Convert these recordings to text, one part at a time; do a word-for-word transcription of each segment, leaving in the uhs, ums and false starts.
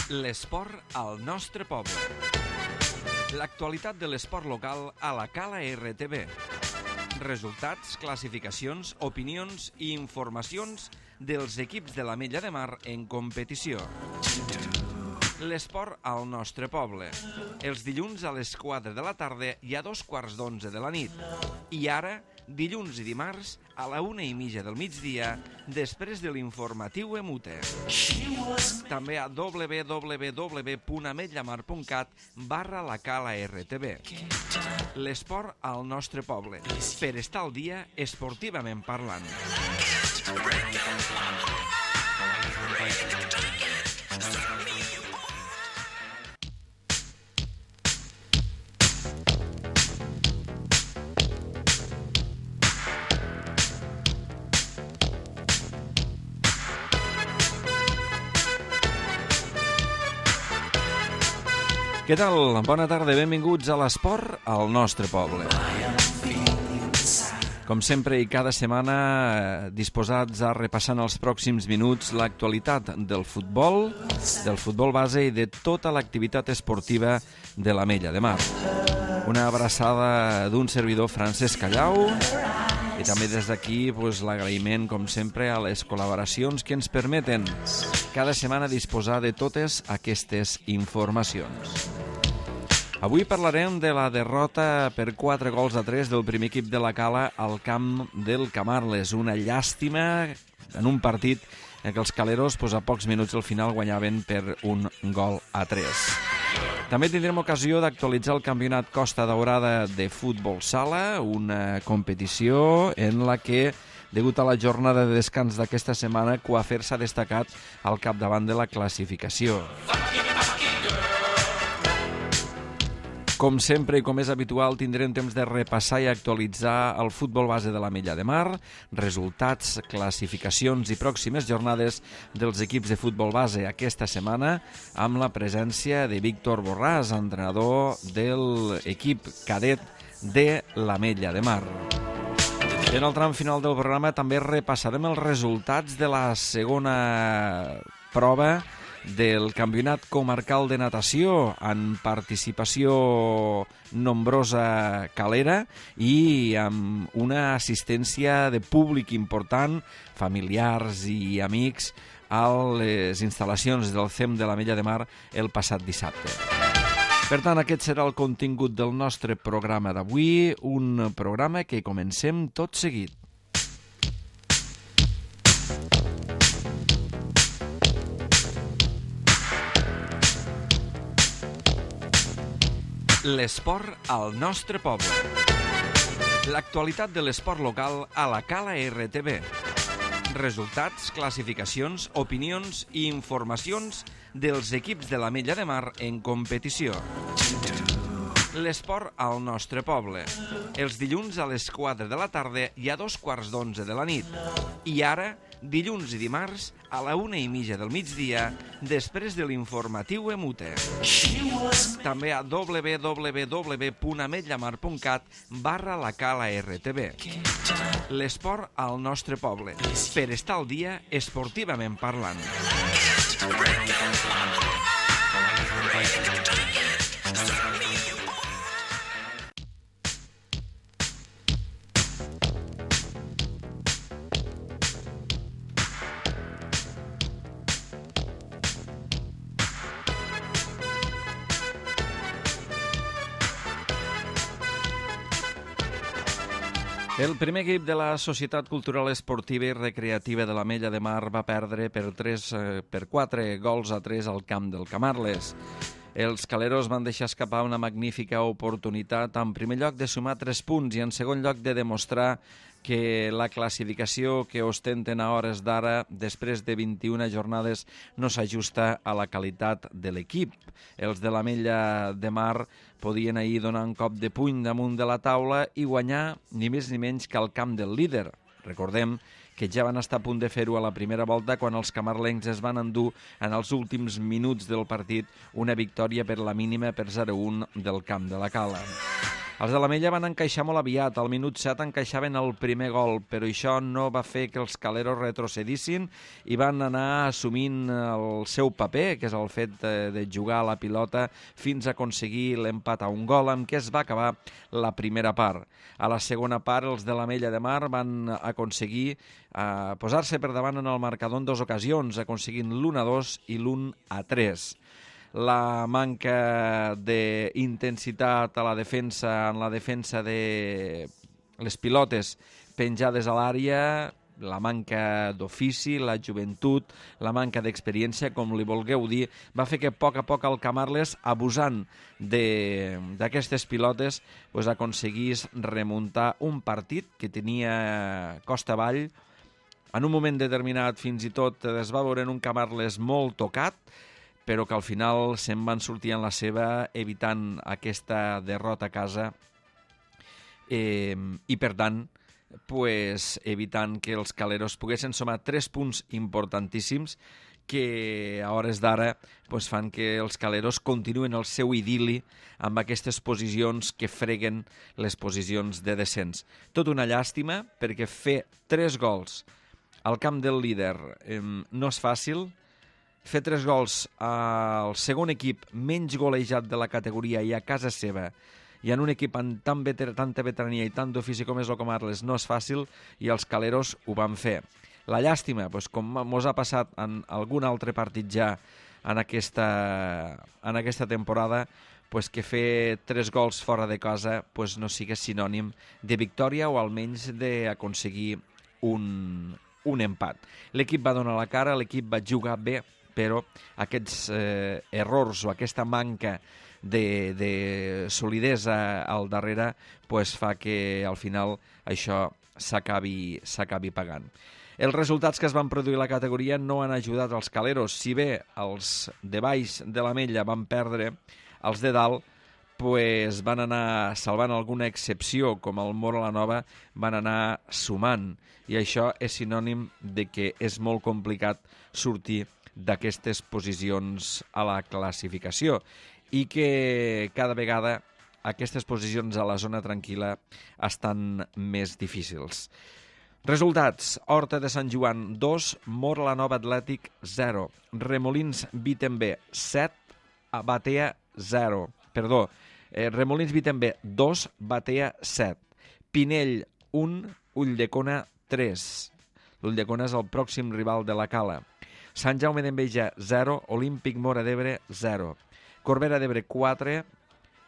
L'esport al nostre poble. L'actualitat de l'esport local a la Cala R T V. Resultats, classificacions, opinions i informacions dels equips de l'Ametlla de Mar en competició. L'esport al nostre poble. Els dilluns a les quatre de la tarda i a dos quarts d'onze de la nit. I ara, dilluns i dimarts, a la una i mitja del migdia, després de l'informatiu Emute. També a w w w punt ametllamar punt cat barra la Cala R T V. L'esport al nostre poble, per estar al dia esportivament parlant. Què tal? Bona tarda, benvinguts a l'esport al nostre poble. Com sempre i cada setmana, disposats a repassar en els pròxims minuts l'actualitat del futbol, del futbol base i de tota l'activitat esportiva de l'Ametlla de Mar. Una abraçada d'un servidor, Francesc Callau, i també des d'aquí pues, l'agraïment, com sempre, a les col·laboracions que ens permeten cada setmana disposar de totes aquestes informacions. Avui parlarem de la derrota per quatre gols a tres del primer equip de la Cala al camp del Camarles. Una llàstima en un partit en què els caleros pues, a pocs minuts al final guanyaven per un gol a tres. També tindrem ocasió d'actualitzar el campionat Costa Daurada de futbol sala, una competició en la que, degut a la jornada de descans d'aquesta setmana, Coafer s'ha destacat al capdavant de la classificació. Com sempre i com és habitual, tindrem temps de repassar i actualitzar el futbol base de l'Ametlla de Mar, resultats, classificacions i pròximes jornades dels equips de futbol base aquesta setmana, amb la presència de Víctor Borràs, entrenador de l'equip cadet de l'Ametlla de Mar. En el tram final del programa també repassarem els resultats de la segona prova del Campionat Comarcal de Natació, en participació nombrosa calera i amb una assistència de públic important, familiars i amics, a les instal·lacions del C E M de l'Ametlla de Mar el passat dissabte. Per tant, aquest serà el contingut del nostre programa d'avui, un programa que comencem tot seguit. L'esport al nostre poble. L'actualitat de l'esport local a la Cala R T V. Resultats, classificacions, opinions i informacions dels equips de l'Ametlla de Mar en competició. L'esport al nostre poble. Els dilluns a les quatre de la tarda i a dos quarts d'onze de la nit. I ara, dilluns i dimarts, a la una i mitja del migdia, després de l'informatiu Emute. També a w w w punt ametllamar punt cat barra la Cala R T V. L'esport al nostre poble, per estar al dia esportivament parlant. El primer equip de la Societat Cultural Esportiva i Recreativa de l'Ametlla de Mar va perdre per, tres, per quatre gols a tres al camp del Camarles. Els caleros van deixar escapar una magnífica oportunitat, en primer lloc de sumar tres punts i en segon lloc de demostrar que la classificació que ostenten a hores d'ara, després de vint-i-una jornades, no s'ajusta a la qualitat de l'equip. Els de l'Ametlla de Mar podien ahir donar un cop de puny damunt de la taula i guanyar ni més ni menys que al camp del líder. Recordem que ja van estar a punt de fer-ho a la primera volta quan els camarlencs es van endur en els últims minuts del partit una victòria per la mínima per zero a un del camp de la Cala. Els de l'Ametlla van encaixar molt aviat. Al minut set encaixaven el primer gol, però això no va fer que els caleros retrocedissin i van anar assumint el seu paper, que és el fet de, de jugar a la pilota fins a aconseguir l'empat a un gol, amb què es va acabar la primera part. A la segona part, els de l'Ametlla de Mar van aconseguir eh, posar-se per davant en el marcador en dues ocasions, aconseguint l'u a dos i l'u a tres. La manca d'intensitat a la defensa, en la defensa de les pilotes penjades a l'àrea, la manca d'ofici, la joventut, la manca d'experiència, com li vulgueu dir, va fer que a poc a poc el Camarles, abusant d'aquestes pilotes, pues, aconseguís remuntar un partit que tenia costa avall. En un moment determinat, fins i tot, es va veure en un Camarles molt tocat, però que al final se'n van sortir en la seva evitant aquesta derrota a casa eh, i, per tant, pues, evitant que els caleros poguessin sumar tres punts importantíssims que a hores d'ara pues, fan que els caleros continuen el seu idili amb aquestes posicions que freguen les posicions de descens. Tot una llàstima, perquè fer tres gols al camp del líder eh, no és fàcil. Fer tres gols al segon equip menys golejat de la categoria i a casa seva i en un equip amb tan veter, tanta veterania i tant d'ofici com és el Camarles no és fàcil i els caleros ho van fer. La llàstima, doncs, com mos ha passat en algun altre partit ja en aquesta, en aquesta temporada, pues que fer tres gols fora de casa pues no sigui sinònim de victòria o almenys d'aconseguir un, un empat. L'equip va donar la cara, l'equip va jugar bé, però aquests eh, errors o aquesta manca de, de solidesa al darrere pues, fa que al final això s'acabi s'acabi pagant. Els resultats que es van produir a la categoria no han ajudat als caleros. Si bé els de baix de l'Ametlla van perdre, els de dalt pues, van anar salvant alguna excepció, com el Móra la Nova, van anar sumant. I això és sinònim de que és molt complicat sortir d'aquestes posicions a la classificació i que cada vegada aquestes posicions a la zona tranquil·la estan més difícils. Resultats: Horta de Sant Joan dos, Móra la Nova Atlètic zero, Remolins Vitember set, Batea zero, perdó, eh, Remolins Vitember dos, Batea set, Pinell un, Ulldecona tres. L'Ulldecona és el pròxim rival de la Cala. Sant Jaume d'Enveja zero, Olímpic Móra d'Ebre zero, Corbera d'Ebre quatre,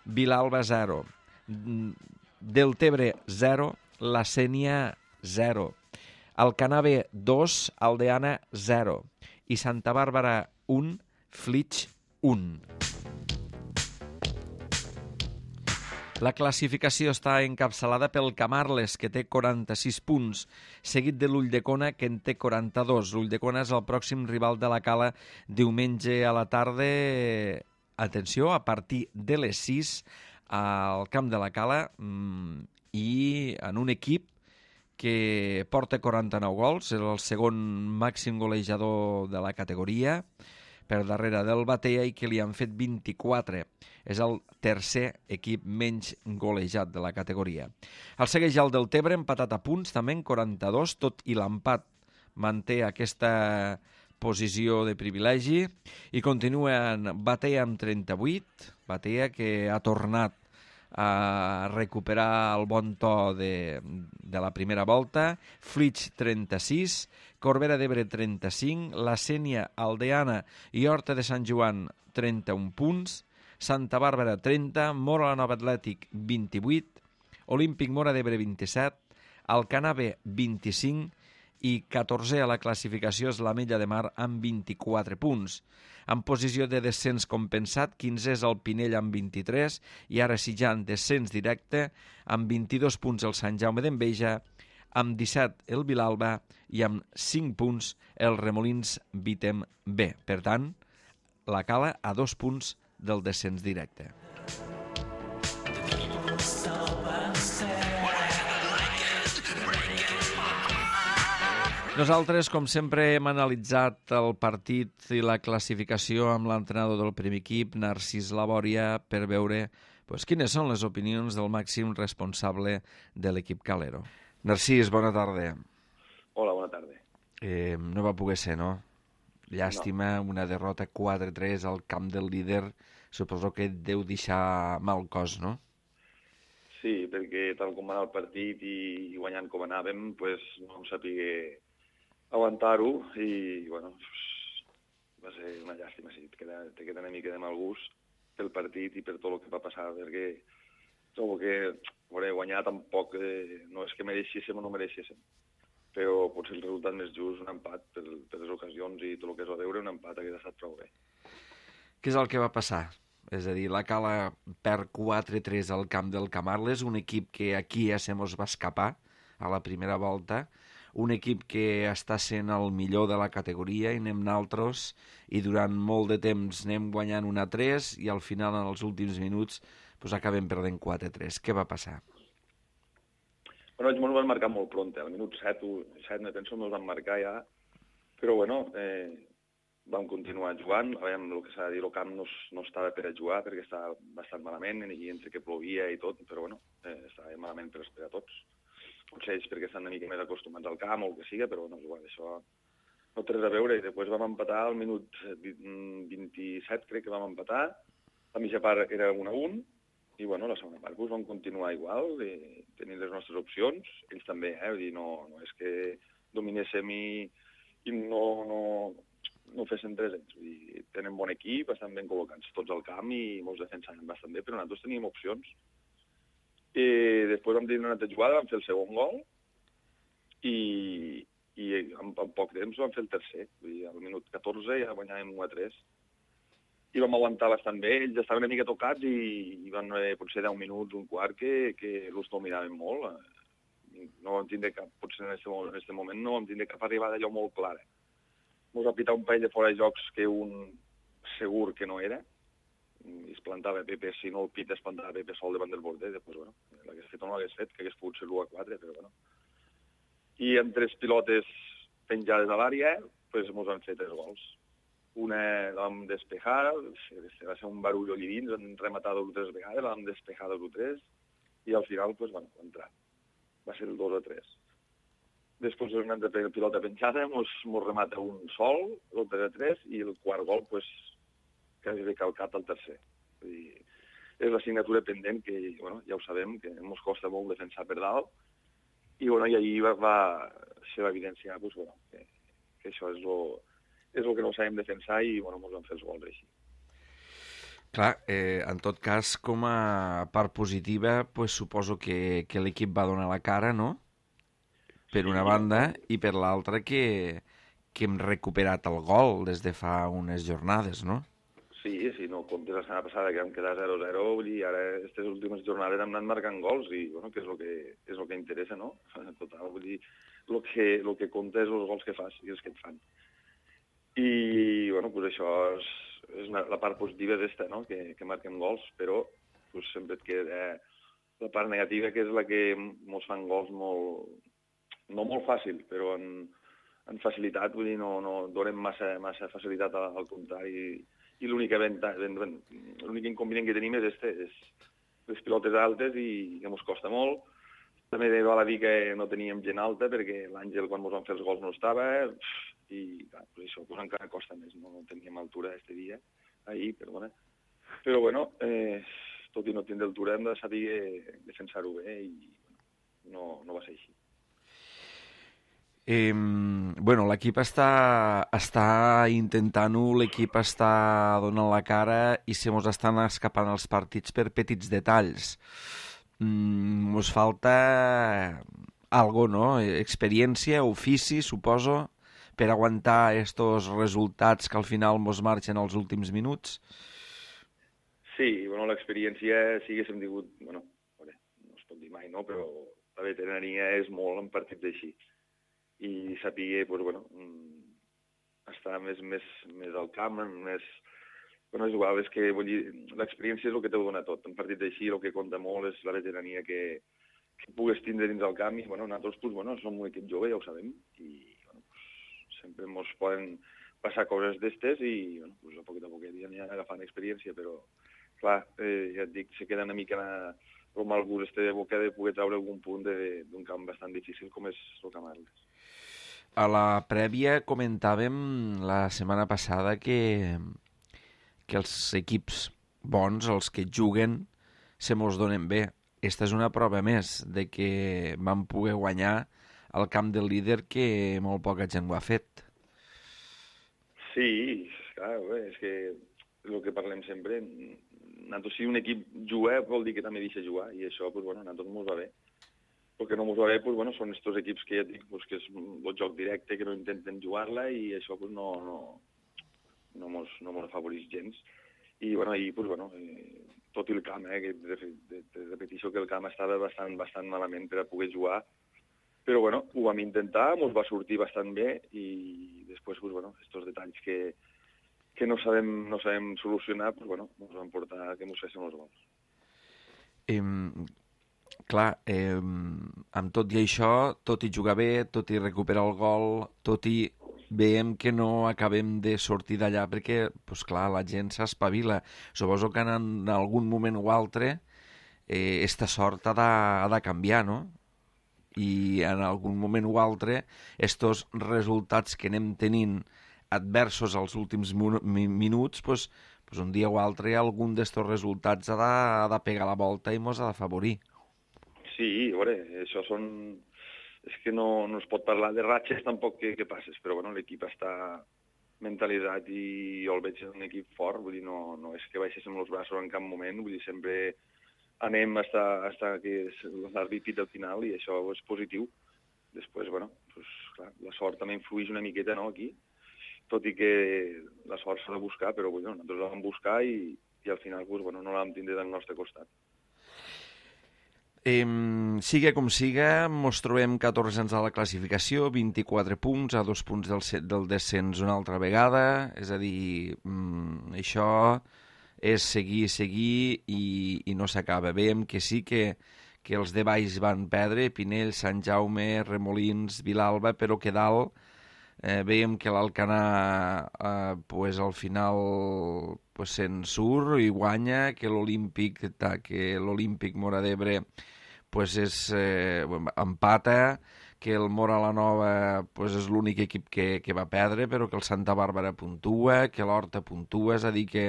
Vilalba zero, Deltebre zero, La Sénia zero, Alcanar dos, Aldeana zero i Santa Bàrbara un, Flix un. La classificació està encapçalada pel Camarles, que té quaranta-sis punts, seguit de l'Ulldecona, que en té quaranta-dos. L'Ulldecona és el pròxim rival de la Cala diumenge a la tarda. Atenció, a partir de les sis al camp de la Cala i en un equip que porta quaranta-nou gols, és el segon màxim golejador de la categoria, per darrere del Batea, i que li han fet vint-i-quatre. És el tercer equip menys golejat de la categoria. El segueix el Deltebre, empatat a punts, també en quaranta-dos, tot i l'empat manté aquesta posició de privilegi, i continuen Batea amb trenta-vuit, Batea que ha tornat a recuperar el bon to de, de la primera volta, Flix trenta-sis, Corbera d'Ebre trenta-cinc, La Sénia, Aldeana i Horta de Sant Joan trenta-un punts, Santa Bàrbara trenta, Móra la Nova Atlètic vint-i-vuit, Olímpic Móra d'Ebre vint-i-set, Alcanar vint-i-cinc i catorzè a la classificació és l'Ametlla de Mar amb vint-i-quatre punts. En posició de descens compensat, quinzè és el Pinell amb vint-i-tres i ara sí ja en descens directe amb vint-i-dos punts el Sant Jaume d'Enveja, amb disset el Vilalba i amb cinc punts el Remolins Vitem B. Per tant, la Cala a dos punts del descens directe. Nosaltres, com sempre, hem analitzat el partit i la classificació amb l'entrenador del primer equip, Narcís Labòria, per veure Pues quines són les opinions del màxim responsable de l'equip Calero? Narcís, bona tarda. Hola, bona tarda. Eh, no va poder ser, no? Llàstima, no. Una derrota quatre tres al camp del líder, suposo que et deu deixar mal cos, no? Sí, perquè tal com va anar el partit i guanyant com anàvem, pues, no em sapigué aguantar-ho i, bueno, va ser una llàstima, sí, te queda, te queda una mica de mal gust pel partit i per tot el que va passar, perquè trobo que veure, guanyar tampoc eh, no és que mereixéssim o no mereixéssim, però potser el resultat més just, un empat, per, per les ocasions i tot el que es va veure, un empat hagués estat prou bé. Què és el que va passar? És a dir, la Cala perd quatre tres al camp del Camarles, un equip que aquí ja se mos va escapar a la primera volta, un equip que està sent el millor de la categoria i anem naltros i durant molt de temps anem guanyant un a tres i al final, en els últims minuts, pues, acabem perdent quatre tres. Què va passar? Bueno, ells ens van marcar molt pront, al minut set, set me penso, ens van marcar ja, però bueno, eh, vam continuar jugant, a veure, el que s'ha de dir, el camp no, no estava per a jugar perquè estava bastant malament i entre que plovia i tot, però bueno, eh, estava malament per esperar tots. Potser ells perquè estan una mica més acostumats al camp o el que siga, però no, igual, això no té res a veure. I després vam empatar al minut vint-i-set, crec que vam empatar, la mitja part era un a un, i bueno, la segona part doncs, vam continuar igual, i tenint les nostres opcions, ells també, eh? Vull dir, no, no és que dominéssim i, i no, no, no fessin tres anys. Vull dir, tenen bon equip, estan ben col·locats tots al camp i molts defensaven bastant bé, però nosaltres teníem opcions. I després vam tenir una altra jugada, vam fer el segon gol i, i en, en poc temps vam fer el tercer. Vull dir, al minut catorze ja guanyàvem un a tres. I vam aguantar bastant bé, ells estaven una mica tocats i, i van haver potser deu minuts, un quart, que, que els dominaven molt. No vam tindre cap, potser en aquest moment no vam tindre cap arribada allò molt clara. Ens va pitar un parell de fora de jocs que un segur que no era, i es plantava Pepe, si no el pit es plantava Pepe sol davant del border, després, bueno, l'hagués fet o no l'hagués fet, que hagués pogut ser l'u a quatre, però bueno. I amb tres pilotes penjades a l'àrea, pues, ens han fet tres gols. Una la vam despejar, va ser un barull allí dins, vam rematar dos o tres vegades, la vam despejar dos o tres, i al final, pues, bueno, va entrar. Va ser el dos a tres. Després una altra pilota penjada, ens remata un sol, el tres a tres, i el quart gol, pues, quasi bé calcat al tercer. Vull dir, és l'assignatura pendent que, bueno, ja ho sabem, que ens costa molt defensar per dalt, i, bueno, i ahir va, va ser l'evidència pues, bueno, que, que això és el és el que no sabem defensar i, bueno, ens van fer els gols així. Clar, eh, en tot cas, com a part positiva, pues, suposo que, que l'equip va donar la cara, no?, per una banda, i per l'altra que, que hem recuperat el gol des de fa unes jornades, no? Sí, sí, no comptes la setmana passada que vam quedar zero a zero, vull dir, ara aquestes últimes jornades hem anat marcant gols i, bueno, que és el que, és el que interessa, no? Total, vull dir, el que, el que compta és els gols que fas i els que et fan. I, bueno, pues això és, és una, la part positiva d'esta, no?, que, que marquem gols, però pues, sempre et queda la part negativa, que és la que ens fan gols molt, no molt fàcil, però en, en facilitat, vull dir, no, no donem massa, massa facilitat al, al contrari. I l'únic inconvenient que tenim és este, és les pilotes altes i que ens costa molt. També val a dir que no teníem gent alta perquè l'Àngel, quan ens van fer els gols, no estava, i clar, pues això pues encara costa més, no teníem altura aquest dia, ahir, perdona. Però bueno, eh, tot i no tindre altura hem de saber defensar-ho bé i no, no va ser així. Eh, bueno, l'equip està, està intentant-ho, l'equip està donant la cara i se mos estan escapant els partits per petits detalls. Mm, mos falta algo, no? Experiència, ofici, suposo, per aguantar estos resultats que al final mos marxen als últims minuts. Sí, bueno, l'experiència sí que haguéssim tingut, bueno, no es pot dir mai, no? Però la veterania és molt en partits així. I saber, pues, bueno, estar més, més, més al camp, més... Bueno, és igual, és que, vull dir, l'experiència és el que t'ho dona tot. En partits així el que compta molt és la veterania que, que pugues tindre dins del camp i, bueno, nosaltres, pues, bueno, som un equip jove, ja ho sabem, i, bueno, pues, sempre ens poden passar coses d'estes i, bueno, pues, a poc a poc aniran agafant experiència, però clar, eh, ja et dic, se queda una mica el mal gust este de boca de poder treure algun punt d'un camp bastant difícil com és el Camp Arles. A la prèvia comentàvem la setmana passada que, que els equips bons, els que juguen, se mos donen bé. Esta és una prova més de que vam poder guanyar al camp del líder que molt poca gent ho ha fet. Sí, clar, bé, és que el que parlem sempre, nosaltres si un equip juga vol dir que també deixa jugar, i això, pues, bueno, a nosaltres mos va bé. El que no mos va bé, pues, bueno, són estos equips que ja et dic, pues, que és el joc directe, que no intenten jugar-la, i això pues, no, no, no, mos, no mos afavoreix gens. I, bueno, ahir, pues, bueno, eh, tot i el camp, eh, que de, de, de repetició que el camp estava bastant, bastant malament per a poder jugar, però, bueno, ho vam intentar, mos va sortir bastant bé, i després, pues, bueno, estos detalls que, que no sabem, no sabem solucionar, pues, bueno, ens van portar que mos fessin els gols. Eh, clar, eh, amb tot i això, tot i jugar bé, tot i recuperar el gol, tot i veiem que no acabem de sortir d'allà perquè, pues clar, la gent s'espavila. Suposo que en algun moment o altre eh, esta sort ha de, ha de canviar, no? I en algun moment o altre estos resultats que anem tenint adversos als últims minuts, pues, pues un dia o altre algun d'estos resultats ha de, ha de pegar la volta i mos ha d'afavorir. Sí, a veure, això són... És que no, no es pot parlar de ratxes tampoc que, que passes, però bueno, l'equip està mentalitzat i jo el veig un equip fort, vull dir, no, no és que baixéssim els braços en cap moment, vull dir, sempre anem fins a que l'àrbit pita al final i això és positiu. Després, bueno, pues, clar, la sort també influeix una miqueta, no?, aquí, tot i que la sort s'ha de buscar, però bueno, nosaltres la vam buscar i, i al final pues, bueno, no la vam tindre del nostre costat. Eh, siga com siga, mos trobem catorzens a la classificació, vint-i-quatre punts, a dos punts del, del descens una altra vegada, és a dir, mm, això és seguir, seguir i, i no s'acaba. Veiem que sí que, que els de baix van perdre, Pinell, Sant Jaume, Remolins, Vilalba, però que dalt eh, veiem que l'Alcanar eh, pues, al final pues, se'n surt i guanya, que l'Olímpic que l'Olímpic Móra d'Ebre pues, és, eh, empata, que el Móra la Nova pues, és l'únic equip que, que va perdre, però que el Santa Bàrbara puntua, que l'Horta puntua, és a dir que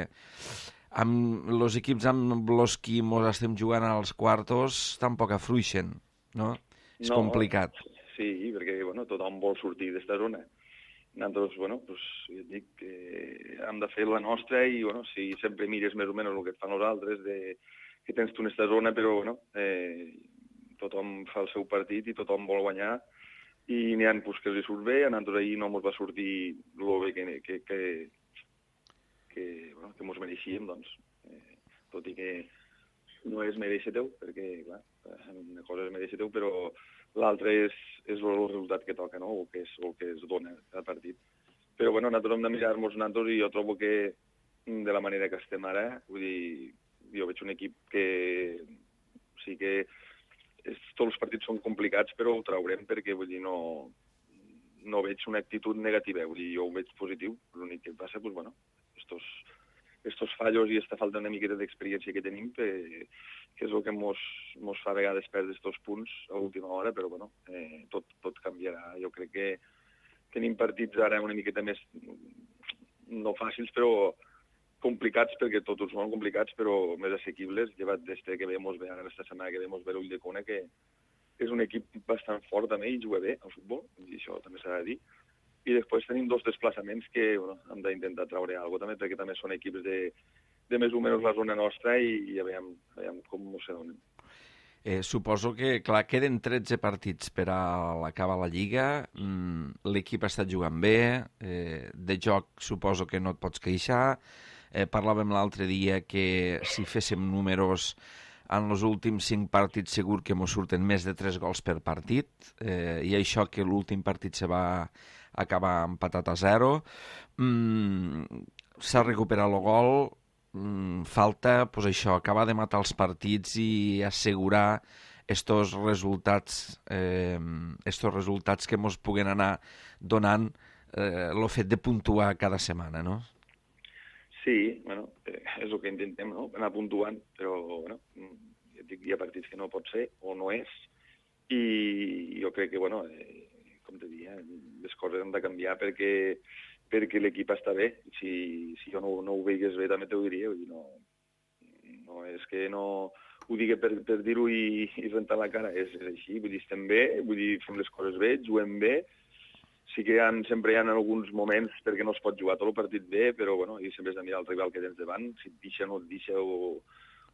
amb els equips amb els qui mos estem jugant als quartos tampoc afluixen, no? És no, complicat. Sí, perquè bueno, tothom vol sortir d'esta zona. Nosaltres, bueno, pues, jo dic que hem de fer la nostra i, bueno, si sempre mires més o menys el que et fan nosaltres, de, que tens tu en aquesta zona, però, bueno, eh, tothom fa el seu partit i tothom vol guanyar i n'hi ha pues, que els surt bé, a nosaltres ahir no ens va sortir el bé que, que, que, que, bueno, que mos mereixíem, doncs, eh, tot i que no és mereixer teu, perquè, clar, una cosa és mereixer teu, però l'altre és, és el resultat que toca, no?, o que, és, o que es dona al partit. Però, bueno, nosaltres hem de mirar-nos nosaltres i jo trobo que de la manera que estem ara, vull dir, jo veig un equip que sí que és, tots els partits són complicats, però ho traurem perquè, vull dir, no, no veig una actitud negativa, vull dir, jo ho veig positiu. L'únic que passa, doncs, bueno, estos, estos fallos i esta falta una miqueta d'experiència que tenim, que, que és el que mos, mos fa a vegades perdre estos punts a última hora, però, bueno, eh, tot, tot canviarà. Jo crec que tenim partits ara una miqueta més, no fàcils, però complicats, perquè tots són complicats, però més assequibles, llevat des que ve mos ve ara aquesta setmana que ve mos ve l'Ull de Cona, que és un equip bastant fort també i juga bé al futbol, i això també s'ha de dir. I després tenim dos desplaçaments que bueno, hem d'intentar treure alguna cosa també, perquè també són equips de, de més o menys la zona nostra i, i a veure, a veure com s'ho donen. Eh, suposo que, clar, queden tretze partits per a l'acabar la Lliga, mm, l'equip ha estat jugant bé, eh, de joc suposo que no et pots queixar. Eh, parlàvem l'altre dia que si féssim números en els últims cinc partits segur que mos surten més de tres gols per partit, eh, i això que l'últim partit se va acabar empatat a zero. Mm, s'ha recuperat el gol, mm, falta pues això, acabar de matar els partits i assegurar estos resultats, eh, estos resultats que mos puguen anar donant eh, el fet de puntuar cada setmana, no? Sí, bueno, eh, és el que intentem, no? Anar puntuant, però, bueno, ja et dic, hi ha partits que no pot ser o no és, i jo crec que, bueno, eh, com te diria, les coses han de canviar perquè, perquè l'equip està bé. Si, si jo no, no ho veigués bé, també t'ho diria, vull dir, no, no és que no ho digui per, per dir-ho i, i rentar la cara, és, és així, vull dir, estem bé, vull dir, fem les coses bé, juguem bé. Sí que hi ha, sempre hi ha alguns moments perquè no es pot jugar tot el partit bé, però bueno, i sempre has de mirar el rival que tens davant, si et deixa o no et deixa, o,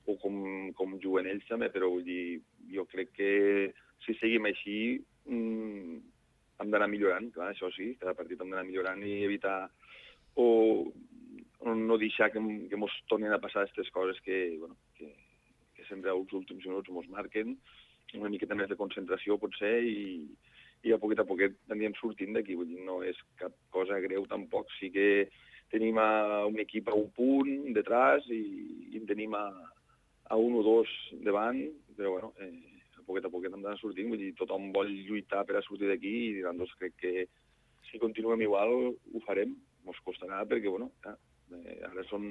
o com, com juguen ells també, però vull dir, jo crec que si seguim així mmm, hem d'anar millorant, clar, això sí, cada partit hem d'anar millorant i evitar o, o no deixar que, que mos tornin a passar aquestes coses que, bueno, que, que sempre als últims minuts mos marquen, una miqueta més de concentració potser, i i a poquet a poquet anirem sortint d'aquí, vull dir, no és cap cosa greu tampoc, sí que tenim a un equip a un punt detrás i, i en tenim a, a un o dos davant, però bueno, eh, a poquet a poquet hem d'anar sortint, vull dir, tothom vol lluitar per a sortir d'aquí i doncs crec que si continuem igual ho farem, mos costarà perquè, bueno, ja, eh, ara són,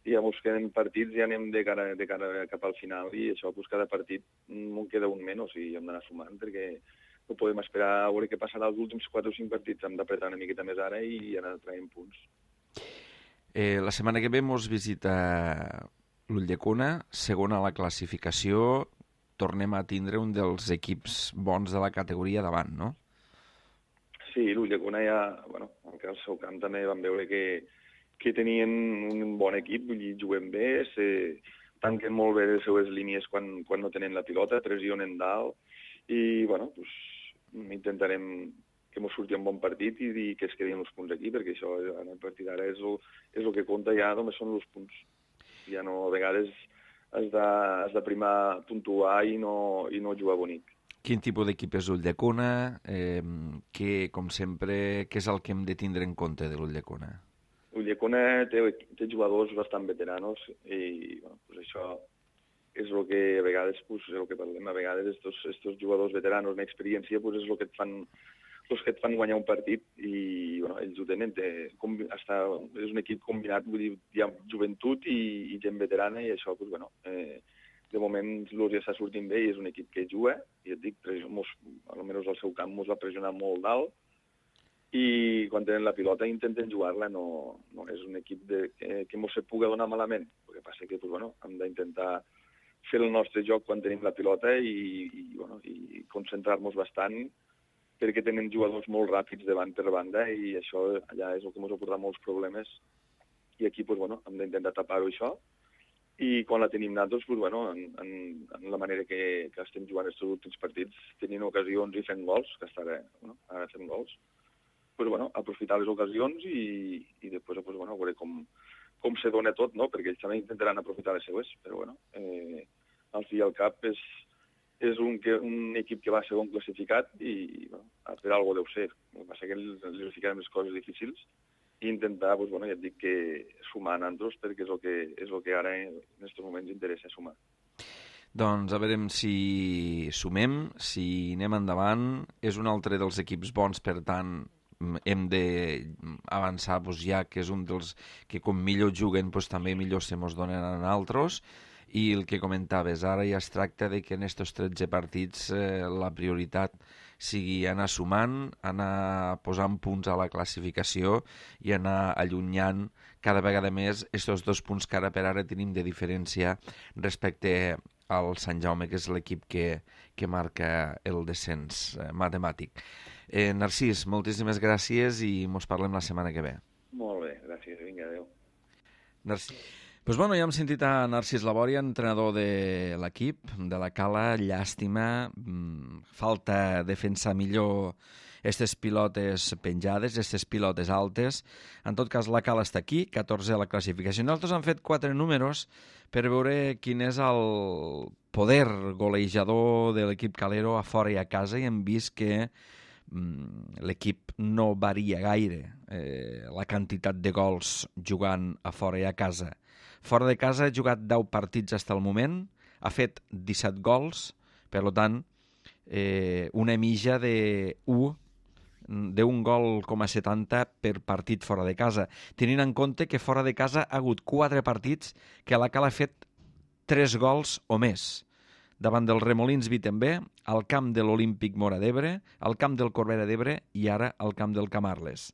ja mos queden partits i ja anem de cara, de cara cap al final i això, doncs cada partit en queda un menys i hem d'anar sumant perquè no podem esperar a veure què passarà els últims quatre o cinc partits. Hem d'apretar una miqueta més ara i anar traient punts. Eh, la setmana que ve mos visita l'Ulldecona, segona a la classificació. Tornem a tindre un dels equips bons de la categoria davant, no? Sí, l'Ulldecona ja, bueno, al seu camp també vam veure que, que tenien un bon equip, vull dir, juguen bé, se tanquen molt bé les seues línies quan, quan no tenen la pilota, pressionen dalt, i, bueno, doncs, intentarem que ens surti un bon partit i dir que es quedin els punts aquí, perquè això en el partit d'ara és, el, és el que compta, ja només són els punts. Ja no, a vegades has de, has de primar puntuar i no, i no jugar bonic. Quin tipus d'equip és l'Ulldecona? Eh, que, com sempre, què és el que hem de tindre en compte de l'Ulldecona? L'Ulldecona té, té jugadors bastant veteranos i, bueno, pues això és el que a vegades, pues, és el que parlem, a vegades estos, estos jugadors veteranos en experiència pues, és el que et fan, els que et fan guanyar un partit i bueno, ells ho tenen, té, hasta, és un equip combinat, vull dir, hi ha joventut i, i gent veterana i això, pues, bueno, eh, de moment l'Urs ja està sortint bé i és un equip que juga i et dic, mos, almenys al seu camp mos va pressionar molt dalt i quan tenen la pilota intenten jugar-la, no, no és un equip de, que, que mos se pugui donar malament, el que passa que pues, bueno, hem d'intentar fer el nostre joc quan tenim la pilota i, i, bueno, i concentrar-nos bastant perquè tenen jugadors molt ràpids de banda per banda i això allà és el que ens ha portat molts problemes i aquí pues, bueno, hem d'intentar tapar-ho això i quan la tenim nosaltres, pues, bueno, en, en, en la manera que, que estem jugant aquests últims partits, tenint ocasions i fent gols, que està ara, bueno, ara fem gols, pues, bueno, aprofitar les ocasions i, i després pues, bueno, veure com, com se dona tot, no? Perquè ells també intentaran aprofitar les seues, però bueno, eh, al fi i al cap és, és un, que, un equip que va segon classificat i bueno, per alguna cosa deu ser. El que passa que els ficarem les coses difícils i intentar, pues, bueno, ja et dic que sumar a nosaltres perquè és el que, és el que ara en aquests moments interessa sumar. Doncs a veure si sumem, si anem endavant. És un altre dels equips bons, per tant, hem d'avançar doncs, ja que és un dels que com millor juguen doncs, també millor se mos donen a nosaltres. I el que comentaves, ara ja es tracta de que en aquests tretze partits eh, la prioritat sigui anar sumant, anar posant punts a la classificació i anar allunyant cada vegada més aquests dos punts que ara per ara tenim de diferència respecte al Sant Jaume, que és l'equip que, que marca el descens eh, matemàtic. Eh, Narcís, moltíssimes gràcies i mos parlem la setmana que ve. Molt bé, gràcies. Vinga, adéu. Narcís. Pues bueno, ja hem sentit a Narcís Labòria, entrenador de l'equip, de la Cala. Llàstima, falta defensar millor aquestes pilotes penjades, aquestes pilotes altes. En tot cas, la Cala està aquí, catorzè a la classificació. Nosaltres hem fet quatre números per veure quin és el poder golejador de l'equip calero a fora i a casa i hem vist que mm, l'equip no varia gaire eh, la quantitat de gols jugant a fora i a casa. Fora de casa ha jugat deu partits fins al moment, ha fet disset gols, per tant, eh, una mitja de u d'un gol coma setanta per partit fora de casa, tenint en compte que fora de casa ha hagut quatre partits que la Cala ha fet tres gols o més. Davant del Remolins Vitembé, al camp de l'Olímpic Móra d'Ebre, al camp del Corbera d'Ebre i ara al camp del Camarles.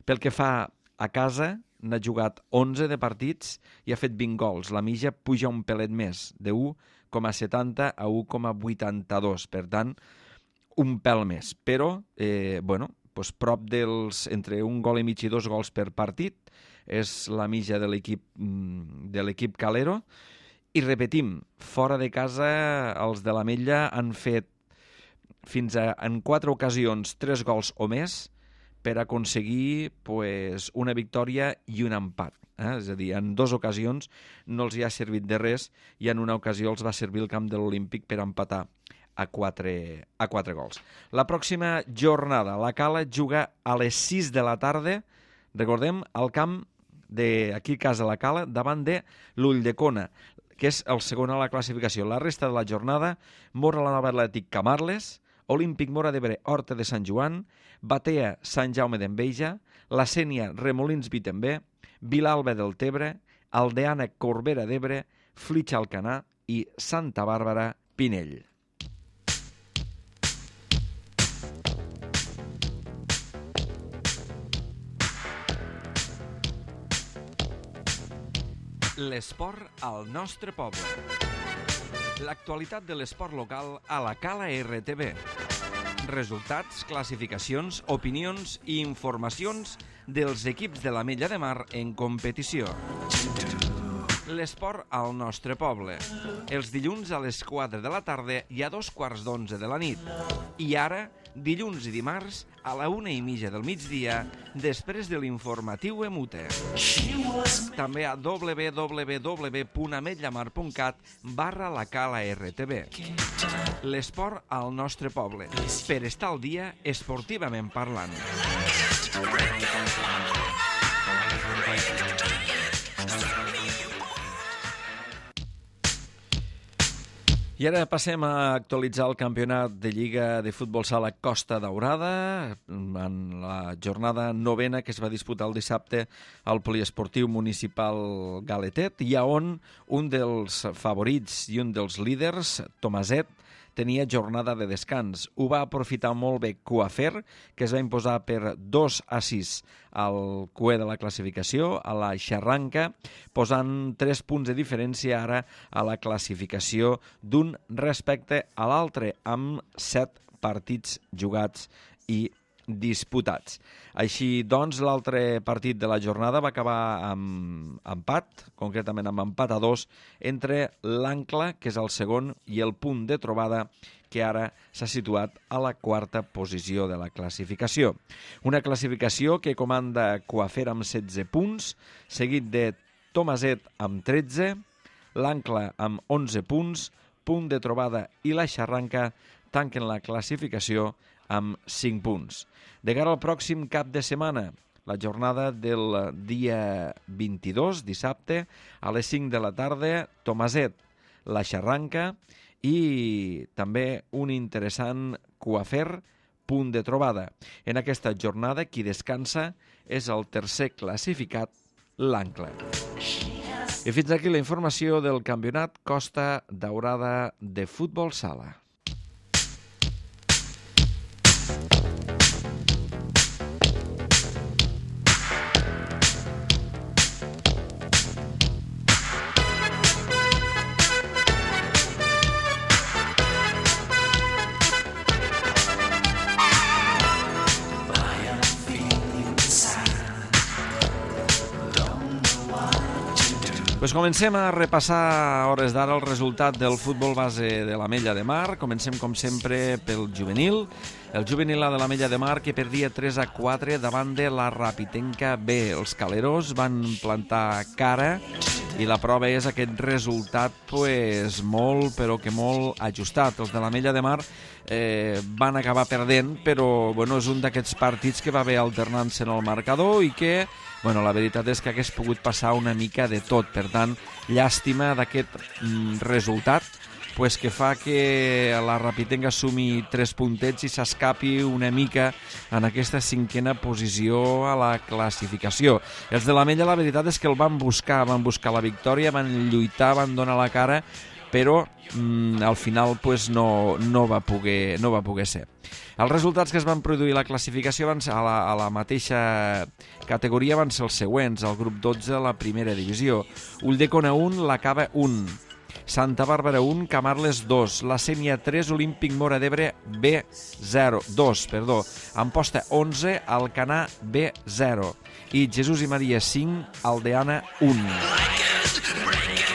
Pel que fa a casa, n'ha jugat onze de partits i ha fet vint gols. La mitja puja un pelet més, de u coma setanta a u coma vuitanta-dos. Per tant, un pèl més. Però, eh, bueno, doncs prop dels, entre un gol i mig i dos gols per partit, és la mitja de l'equip de l'equip calero. I repetim, fora de casa els de l'Ametlla han fet fins a, en quatre ocasions, tres gols o més per aconseguir pues, una victòria i un empat. Eh? És a dir, en dues ocasions no els hi ha servit de res i en una ocasió els va servir el camp de l'Olímpic per empatar a quatre, a quatre gols. La pròxima jornada, la Cala juga a les sis de la tarda, recordem, al camp d'aquí a casa la Cala, davant de l'Ulldecona, que és el segon a la classificació. La resta de la jornada, Móra la Nova Atlètic Camarles, Olímpic Móra d'Ebre Horta de Sant Joan, Batea Sant Jaume d'Enveja, La Sénia Remolins Vitembé, Vilalba del Tebre, Aldeana Corbera d'Ebre, Flitxa Alcanar i Santa Bàrbara Pinell. L'esport al nostre poble. L'actualitat de l'esport local a la Cala R T V. Resultats, classificacions, opinions i informacions dels equips de l'Ametlla de Mar en competició. L'esport al nostre poble. Els dilluns a les quatre de la tarda i a dos quarts d'onze de la nit. I ara, dilluns i dimarts, a la una i mitja del migdia, després de l'informatiu Emute. També a w w w punt ametllamar punt cat barra la Cala R T V. L'esport al nostre poble, per estar al dia esportivament parlant. I ara passem a actualitzar el campionat de Lliga de Futbol Sala Costa Daurada en la jornada novena que es va disputar el dissabte al Poliesportiu Municipal Galetet i on un dels favorits i un dels líders, Tomaset, tenia jornada de descans. Ho va aprofitar molt bé Coafer, que es va imposar per dos a sis al cué de la classificació, a la xarranca, posant tres punts de diferència ara a la classificació d'un respecte a l'altre, amb set partits jugats i disputats. Així doncs, l'altre partit de la jornada va acabar amb empat, concretament amb empat a dos, entre l'Ancla, que és el segon, i el Punt de Trobada, que ara s'ha situat a la quarta posició de la classificació. Una classificació que comanda Coafer amb setze punts, seguit de Tomaset amb tretze, l'Ancla amb onze punts, Punt de Trobada i la Xarranca tanquen la classificació amb cinc punts. De cara al pròxim cap de setmana, la jornada del dia vint-i-dos, dissabte, a les cinc de la tarda, Tomaset, la Xarranca i també un interessant Coafer, Punt de Trobada. En aquesta jornada, qui descansa és el tercer classificat, l'Ancla. I fins aquí la informació del campionat Costa Daurada de Futbol Sala. Pues comencem a repassar a hores d'ara el resultat del futbol base de l'Ametlla de Mar. Comencem, com sempre, pel juvenil. El juvenil de l'Ametlla de Mar, que perdia tres a quatre davant de la Rapitenca B. Els caleros van plantar cara i la prova és aquest resultat pues, molt, però que molt ajustat. Els de l'Ametlla de Mar eh, van acabar perdent, però bueno, és un d'aquests partits que va haver alternant-se en el marcador i que bueno, la veritat és que hagués pogut passar una mica de tot. Per tant, llàstima d'aquest mm, resultat pues, que fa que la Rapitenca sumi tres puntets i s'escapi una mica en aquesta cinquena posició a la classificació. Els de l'Ametlla la veritat és que el van buscar, van buscar la victòria, van lluitar, van donar la cara, però mm, al final pues, no, no, va poder, no va poder ser. Els resultats que es van produir a la classificació van ser a, la, a la mateixa categoria van ser els següents. El grup dotze, la primera divisió. Ulldecona un, la Cava un. Santa Bàrbara un, Camarles dos. La Sénia tres, Olímpic Móra d'Ebre B zero, dos, perdó. Amposta onze, Alcanar B zero. I Jesús i Maria cinc, Aldeana un.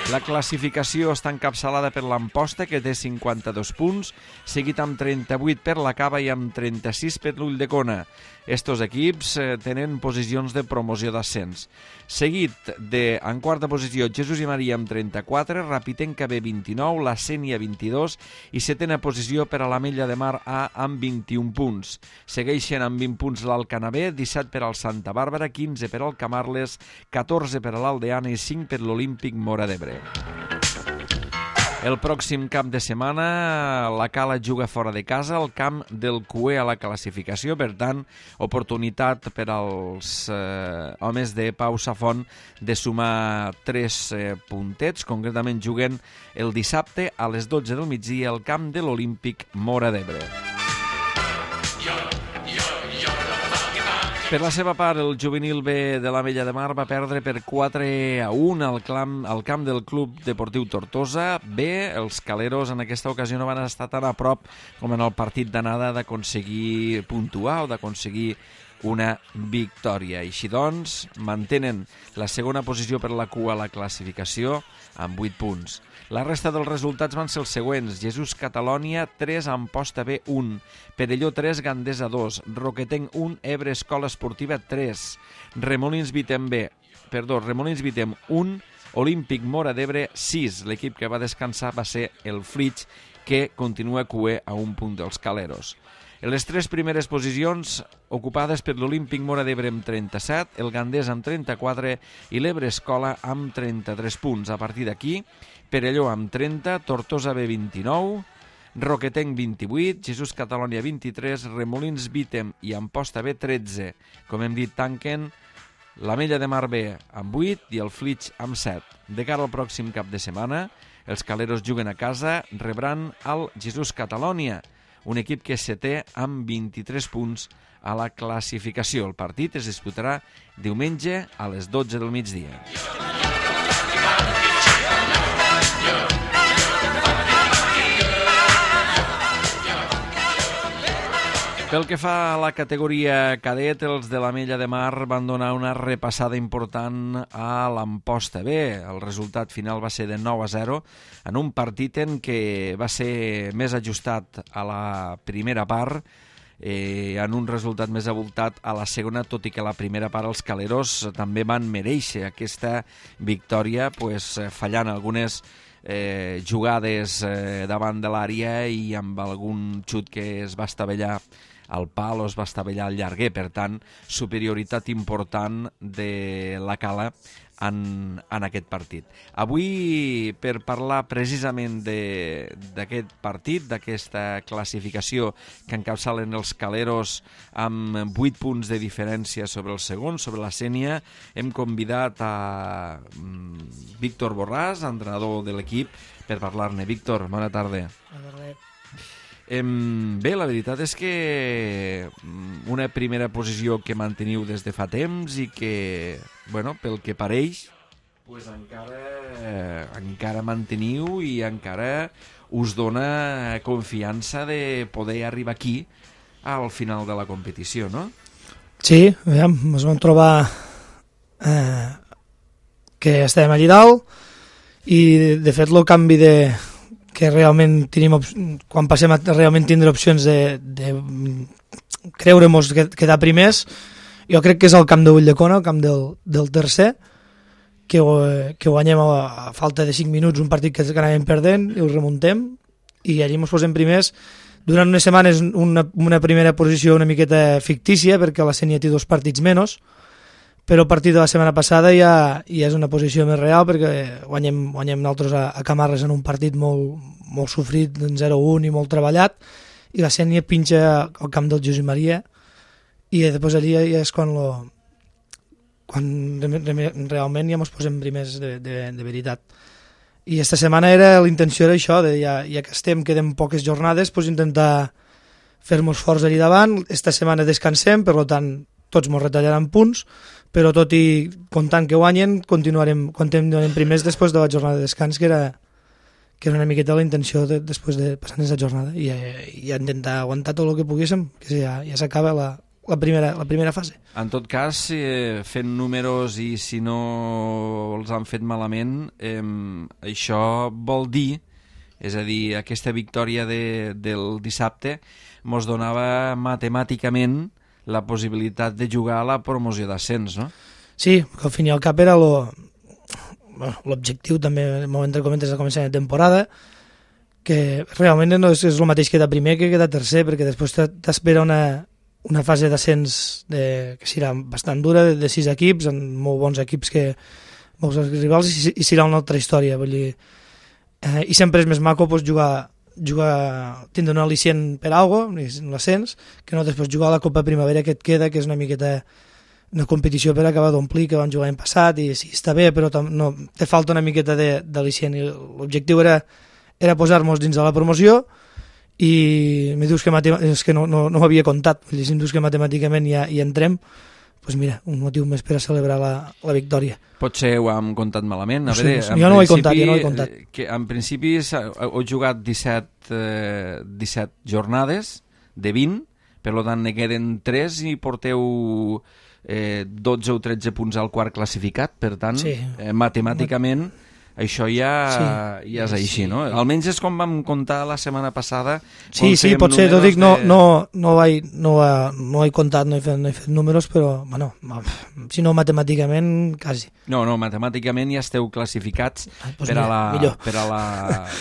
La classificació està encapçalada per l'Amposta, que té cinquanta-dos punts, seguit amb trenta-vuit per la Cava i amb trenta-sis per l'Ulldecona. Estos equips eh, tenen posicions de promoció d'ascens. Seguit de, en quarta posició, Jesús i Maria amb trenta-quatre, Rapitenca B vint-i-nou, la Sénia vint-i-dos i setena posició per a l'Ametlla de Mar A amb vint-i-un punts. Segueixen amb vint punts l'Alcanar B, disset per al Santa Bàrbara, quinze per al Camarles, catorze per a l'Aldeana i cinc per l'Olímpic Móra d'Ebre. El pròxim cap de setmana la Cala juga fora de casa al camp del Cué a la classificació, per tant, oportunitat per als eh, homes de Pau Safont de sumar tres eh, puntets. Concretament juguen el dissabte a les dotze del migdia al camp de l'Olímpic Móra d'Ebre. Per la seva part, el juvenil B de l'Ametlla de Mar va perdre per quatre a un al camp, al camp del Club Deportiu Tortosa. B, els caleros en aquesta ocasió no van estar tan a prop com en el partit d'anada d'aconseguir puntuar o d'aconseguir una victòria. Així doncs, mantenen la segona posició per la cua a la classificació amb vuit punts. La resta dels resultats van ser els següents. Jesús Catalònia tres, Amposta B un, Perelló tres, Gandesa dos, Roquetenc un, Ebre Escola Esportiva tres, Remolins Vitem B, perdó, Remolins Vitem un, Olímpic Móra d'Ebre sis. L'equip que va descansar va ser el Flix, que continua cué a un punt dels caleros. En les tres primeres posicions ocupades per l'Olímpic Móra d'Ebre amb trenta-set, el Gandés amb trenta-quatre i l'Ebre Escola amb trenta-tres punts. A partir d'aquí, Perelló amb trenta, Tortosa B vint-i-nou, Roquetenc vint-i-vuit, Jesús Catalònia vint-i-tres, Remolins Vitem i Amposta B tretze. Com hem dit, tanquen l'Ametlla de Mar B amb vuit i el Flix amb set. De cara al pròxim cap de setmana, els caleros juguen a casa, rebran el Jesús Catalònia, un equip que és setè amb vint-i-tres punts a la classificació. El partit es disputarà diumenge a les dotze del migdia. Pel que fa a la categoria cadet, els de l'Ametlla de Mar van donar una repassada important a l'Amposta B. El resultat final va ser de nou a zero, en un partit en què va ser més ajustat a la primera part, eh, en un resultat més avoltat a la segona, tot i que a la primera part els caleros també van mereixer aquesta victòria, pues, fallant algunes eh, jugades eh, davant de l'àrea i amb algun xut que es va estavellar al pal o es va estavellar al llarguer. Per tant, superioritat important de la Cala en, en aquest partit. Avui, per parlar precisament d'aquest partit, d'aquesta classificació que encapçalen els caleros amb vuit punts de diferència sobre el segon, sobre la Sénia, hem convidat a Víctor Borràs, entrenador de l'equip, per parlar-ne. Víctor, bona tarda. Bona tarda. Bé, la veritat és que una primera posició que manteniu des de fa temps i que, bueno, pel que pareix, pues encara, encara manteniu i encara us dona confiança de poder arribar aquí al final de la competició, no? Sí, aviam, ens vam trobar eh, que estàvem allí dalt i, de fet, el canvi de que realment tenim, quan passem a realment tindre opcions de, de creure-nos quedar primers, jo crec que és el camp de Ulldecona, el camp del, del tercer, que, que guanyem a, a falta de cinc minuts un partit que, que anàvem perdent i ho remuntem i allí ens posem primers. Durant unes setmanes una, una primera posició una miqueta fictícia perquè la Sénia té dos partits menys, però a partir de la setmana passada ja, ja és una posició més real perquè guanyem, guanyem nosaltres a, a Camarles en un partit molt, molt sofrit, zero un i molt treballat, i la Sènia pinxa al camp del Josep Maria, i després allà ja és quan, lo, quan realment ja ens posem primers de, de, de veritat. I esta setmana era l'intenció era això, de ja, ja que estem, queden poques jornades, pues intentar fer-nos forts allà davant. Esta setmana descansem, per tant, tots ens retallaran punts, però tot i comptant que guanyen, continuarem, continuarem primers després de la jornada de descans, que era, que era una miqueta la intenció de, després de passar aquesta jornada, i, i intentar aguantar tot el que poguéssim, que ja, ja s'acaba la, la, primera, la primera fase. En tot cas, eh, fent números i si no els han fet malament, eh, això vol dir, és a dir, aquesta victòria de, del dissabte mos donava matemàticament la possibilitat de jugar a la promoció d'ascens, no? Sí, que al fin i al cap era lo, l'objectiu també, en moment que comentes al començament de temporada, que realment no és, és el mateix quedar primer que quedar tercer, perquè després t'espera una, una fase d'ascens de, que serà bastant dura, de, de sis equips, amb molt bons equips que molts rivals, i, i serà una altra història. Vull dir, eh, i sempre és més maco pues, jugar jugar, tindre un al·licient per alguna cosa, l'ascens, que no després jugar a la Copa Primavera que et queda, que és una miqueta una competició per acabar d'omplir, que van jugar l'any passat, i sí, està bé, però no, te falta una miqueta d'al·licient, i l'objectiu era, era posar-nos dins de la promoció, i me dius que, és que no, no, no ho havia comptat, si em dius que matemàticament ja hi entrem, doncs mira, un motiu més per a celebrar la, la victòria. Potser ho hem comptat malament. A no sé, veure, no sé. Jo no ho he comptat, jo no ho he comptat. Que en principi heu jugat disset, eh, disset jornades de vint, per tant ne queden tres i porteu eh, dotze o tretze punts al quart classificat, per tant, sí. eh, matemàticament això ja, sí. ja és així, sí. no? Almenys és com vam comptar la setmana passada. Sí, sí, potser, t'ho dic, no, de... no, no, he, no, no he comptat, no he, fet, no he fet números, però, bueno, si no matemàticament, quasi. No, no, matemàticament ja esteu classificats ah, doncs per, mira, a la, per, a la,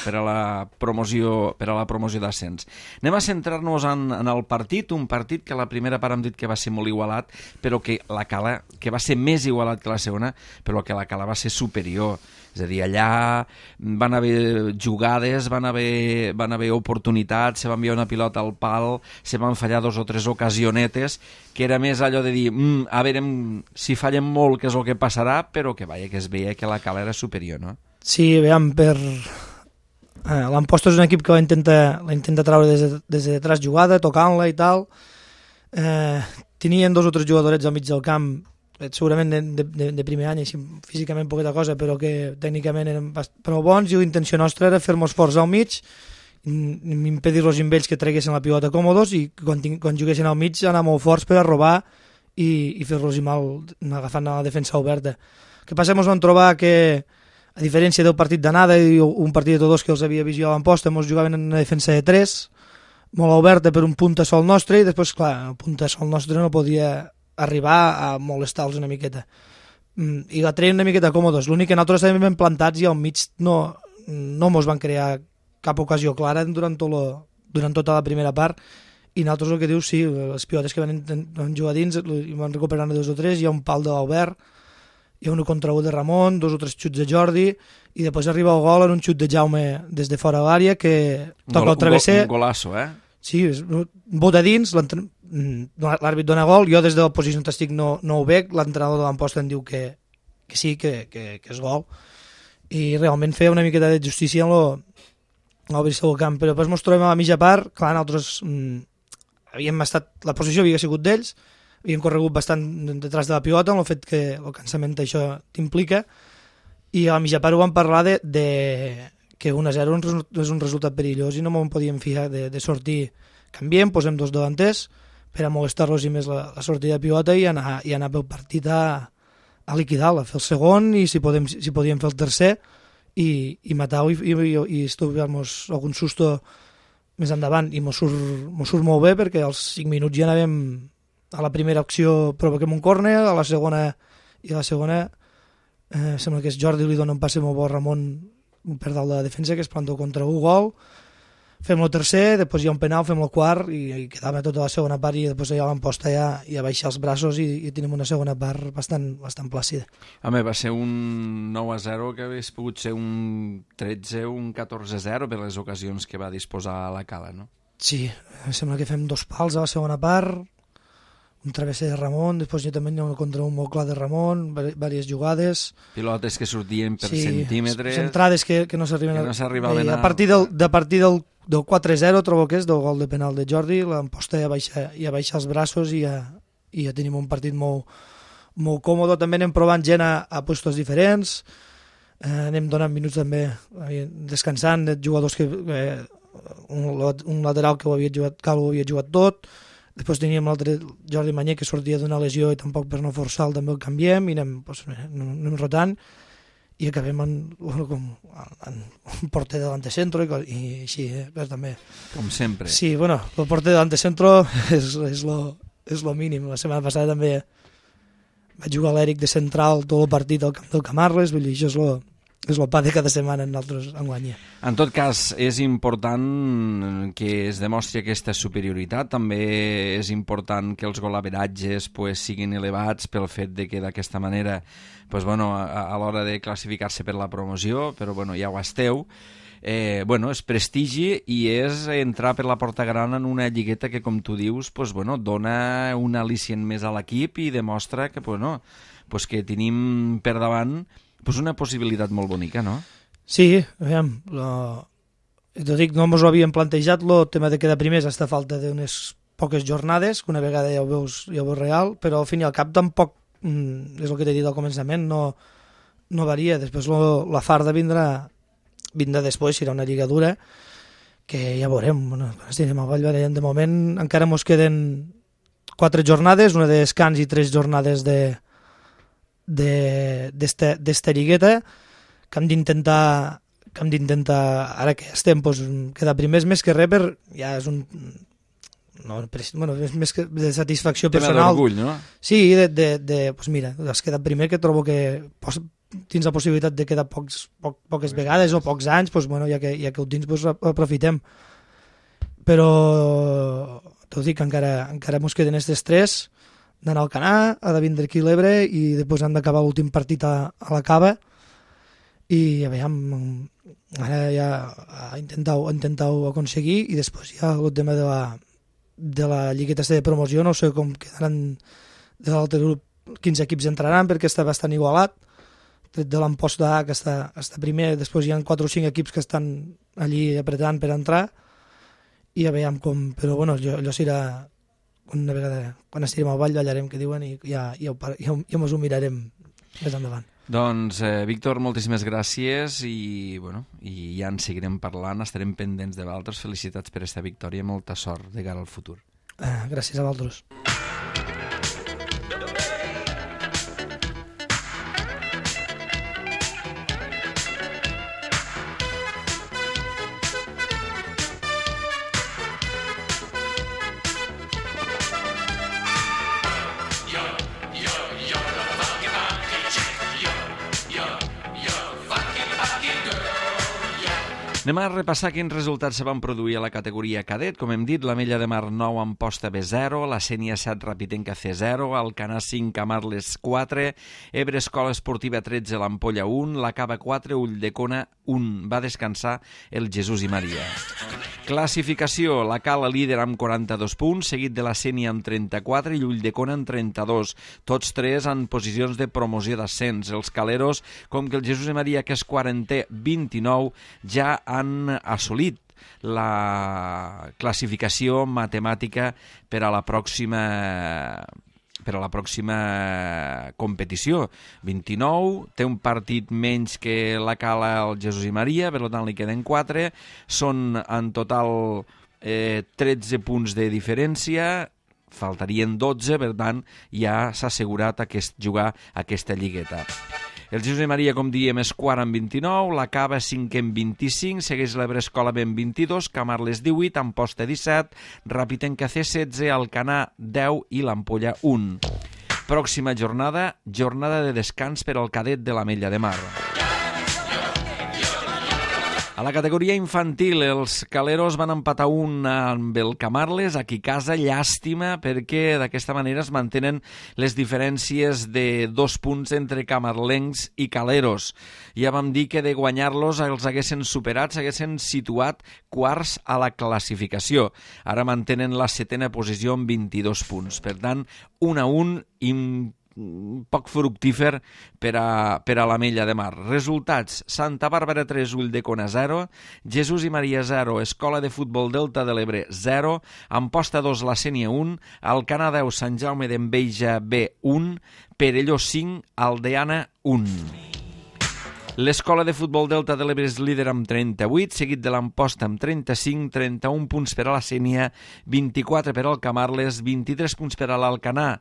per a la promoció per a la promoció d'ascens. Anem a centrar-nos en, en el partit, un partit que la primera part hem dit que va ser molt igualat, però que la Cala, que va ser més igualat que la segona, però que la Cala va ser superior. És a dir, allà van haver jugades, van haver, van haver oportunitats, se va enviar una pilota al pal, se van fallar dos o tres ocasionetes, que era més allò de dir, mm, a veure si fallem molt, què és el que passarà, però que vaja, que es veia que la Cala era superior, no? Sí, veiem, per... Eh, l'Amposta és un equip que la intenta, la intenta treure des de, des de detrás jugada, tocant-la i tal. Eh, tenien dos o tres jugadorets al mig del camp, segurament de, de, de primer any, així, físicament poqueta cosa, però que tècnicament eren prou bons, i l'intenció nostra era fer-nos forts al mig, impedir-los amb ells que treguessin la pilota còmodos, i quan, quan juguessin al mig anar molt forts per a robar i, i fer-los mal agafant la defensa oberta. El que passa, ens vam trobar que, a diferència del partit d'anada i un partit de tots que els havia vist jo a l'Amposta, ens jugaven en una defensa de tres, molt oberta per un punta sol nostre, i després, clar, el punta sol nostre no podia arribar a molestar-los una miqueta. I la treien una miqueta còmodes. L'únic que nosaltres estàvem ben plantats i al mig no, no mos van crear cap ocasió clara durant, tot lo, durant tota la primera part, i nosaltres el que dius, sí, les pilotes que van, van jugar dins i van recuperar dos o tres, hi ha un pal de l'Albert, hi ha un contra un de Ramon, dos o tres xuts de Jordi, i després arriba el gol en un xut de Jaume des de fora de l'àrea, que toca el travesser. Un golasso, eh? Sí, bota dins, l'àrbit dona gol, jo des de la posició on estic no, no ho veig, l'entrenador de l'Amposta em diu que, que sí, que, que, que és gol, i realment feia una miqueta de justícia en l'obrir-se del camp, però després ens trobem a la mitja part, clar, nosaltres mmm, havíem estat, la posició havia sigut d'ells, havíem corregut bastant detrás de la pilota, amb el fet que el cansament això t'implica, i a la mitja part ho vam parlar de, de que un a zero és un resultat perillós i no me'n podíem fiar de, de sortir. Canviem, posem dos davanters per a molestar-los i més la, la sortida de pilota i anar, i anar pel partit a, a liquidar-la, fer el segon i si, podem, si podíem fer el tercer i, i matar-ho i, i, i estudiar-nos algun susto més endavant, i mos surt, mos surt molt bé perquè als cinc minuts ja anàvem a la primera acció provoquem un córner, a la segona i a la segona eh, sembla que és Jordi li dona un passe molt bo a Ramon per dalt de la defensa, que es planta contra un gol. fem el tercer, després hi ha un penal, fem el quart i, i quedava tota la segona part i després ja l'emposta ja, ja baixar els braços i, i tenim una segona part bastant, bastant plàcida. Home, va ser un nou a zero que hagués pogut ser un tretze o un catorze a zero per les ocasions que va disposar la Cala, no? Sí, em sembla que fem dos pals a la segona part, un travesser de Ramon, després jo també hi ha un contra un molt clar de Ramon, diverses jugades. Pilotes que sortien per sí, centímetres. Centrades que, que no s'arriben que no s'arribaven a... a... A partir del, de partir del, del quatre a zero trobo que és del gol de penal de Jordi, l'emposta ja baixa, ja baixa els braços i ja, i ja tenim un partit molt, molt còmode. També anem provant gent a, a puestos diferents, eh, anem donant minuts també eh, descansant de jugadors que... Eh, un, un lateral que ho havia jugat, que ho havia jugat tot. Després teníem l'altre Jordi Manyer que sortia d'una lesió i tampoc per no forçar-lo també el canviem i anem, pues, anem, anem rotant i acabem en, bueno, com, en un porter de l'antecentro i, i així, eh? Però també... Com sempre. Sí, bueno, el porter de l'antecentro és, és, lo, és lo mínim. La setmana passada també vaig jugar a l'Eric de central tot el partit al camp del Camarles, vull dir, això és lo, és el pa de cada setmana en nosaltres enguany. En tot cas, és important que es demostri aquesta superioritat, també és important que els golaveratges pues, siguin elevats pel fet de que d'aquesta manera pues, bueno, a, a l'hora de classificar-se per la promoció, però bueno, ja ho esteu, eh, bueno, és prestigi i és entrar per la porta gran en una lligueta que, com tu dius, pues, bueno, dona un al·licient més a l'equip i demostra que, pues, no, pues, que tenim per davant pues una possibilitat molt bonica, no? Sí, aviam, lo... t'ho dic, no ens ho havíem plantejat, el tema de quedar primers hasta falta d'unes poques jornades, que una vegada ja ho veus, ja ho veus real, però al fin i al cap tampoc, mm, és el que t'he dit al començament, no, no varia. Després lo, la farda vindrà, vindrà després, serà una lliga dura, que ja veurem, bueno, quan estirem al Vall Valent, de moment encara ens queden quatre jornades, una de descans i tres jornades de d'esta lligueta que hem d'intentar que hem d'intentar, ara que estem pues, quedar primers més que res per, ja és un no, bueno, és més que de satisfacció tema personal. D'orgull, no? Sí, de, de, de pues mira, has quedat primer, que trobo que pos, tens la possibilitat de quedar pocs, poc, poques vegades o pocs anys, pues, bueno, ja, que, ja que ho tens pues, aprofitem, però t'ho dic, encara, encara mos queden aquestes tres, d'anar al Canà, ha de vindre aquí l'Ebre i després han d'acabar l'últim partit a, a la Cava i a veure, ara ja ha intentat, ha intentat aconseguir i després ja el tema de la, de la lligueta de promoció, no sé com quedaran de l'altre grup, quins equips entraran perquè està bastant igualat, tret de l'emposta A que està, està primer, després hi ha quatre o cinc equips que estan allí apretant per entrar i a veure com, però bueno, allò, allò serà una vegada, quan estirem al Vall ballarem, que diuen, i ja, ja, ja, ja ens ho mirarem més endavant. Doncs, eh, Víctor, moltíssimes gràcies i, bueno, i ja en seguirem parlant, estarem pendents de vosaltres. Felicitats per aquesta victòria, molta sort de cara al futur. Eh, gràcies a vosaltres. Anem a repassar quins resultats se van produir a la categoria cadet. Com hem dit, l'Ametlla de Mar nou, Amposta B zero, la Sénia set, Rapitenca C zero, Alcanar cinc, Camarles quatre, Ebre Escola Esportiva tretze, l'Ampolla un, la Cava quatre, Ulldecona un. Va descansar el Jesús i Maria. Classificació, la Cala líder amb quaranta-dos punts, seguit de la Sénia amb trenta-quatre i Ulldecona amb trenta-dos. Tots tres en posicions de promoció d'ascens. Els caleros, com que el Jesús i Maria, que és quarantè, vint-i-nou, ja han assolit la classificació matemàtica per a la pròxima per a la pròxima competició. vint-i-nou, té un partit menys que la Cala el Jesús i Maria, per tant li queden quatre, són en total eh, tretze punts de diferència, faltarien dotze, per tant ja s'ha assegurat aquest, jugar aquesta lligueta. El Jesús i Maria, com diem, és quart amb vint-i-nou, la Cava cinquè amb vint-i-cinc, segueix l'Ebre Escola B amb vint-i-dos, Camarles divuit, Amposta disset, Rapitenca C setze, Alcanar deu i l'Ampolla un. Pròxima jornada, jornada de descans per al cadet de l'Ametlla de Mar. A la categoria infantil, els Caleros van empatar un amb el Camarles, aquí a casa, llàstima, perquè d'aquesta manera es mantenen les diferències de dos punts entre camarlencs i Caleros. Ja vam dir que de guanyar-los els haguessin superat, s'haguessin situat quarts a la classificació. Ara mantenen la setena posició amb vint-i-dos punts. Per tant, un a un important, poc fructífer per a, per a l'Ametlla de Mar. Resultats: Santa Bàrbara tres, Ulldecona zero, Jesús i Maria zero, Escola de Futbol Delta de l'Ebre zero, Amposta dos, La Sénia un, Alcanar deu, Sant Jaume d'Enveja B un, Perelló cinc, Aldeana un. L'Escola de Futbol Delta de l'Ebre és líder amb trenta-vuit, seguit de l'Amposta amb trenta-cinc, trenta-un punts per a la Sénia, vint-i-quatre per al Camarles, vint-i-tres punts per a l'Alcanar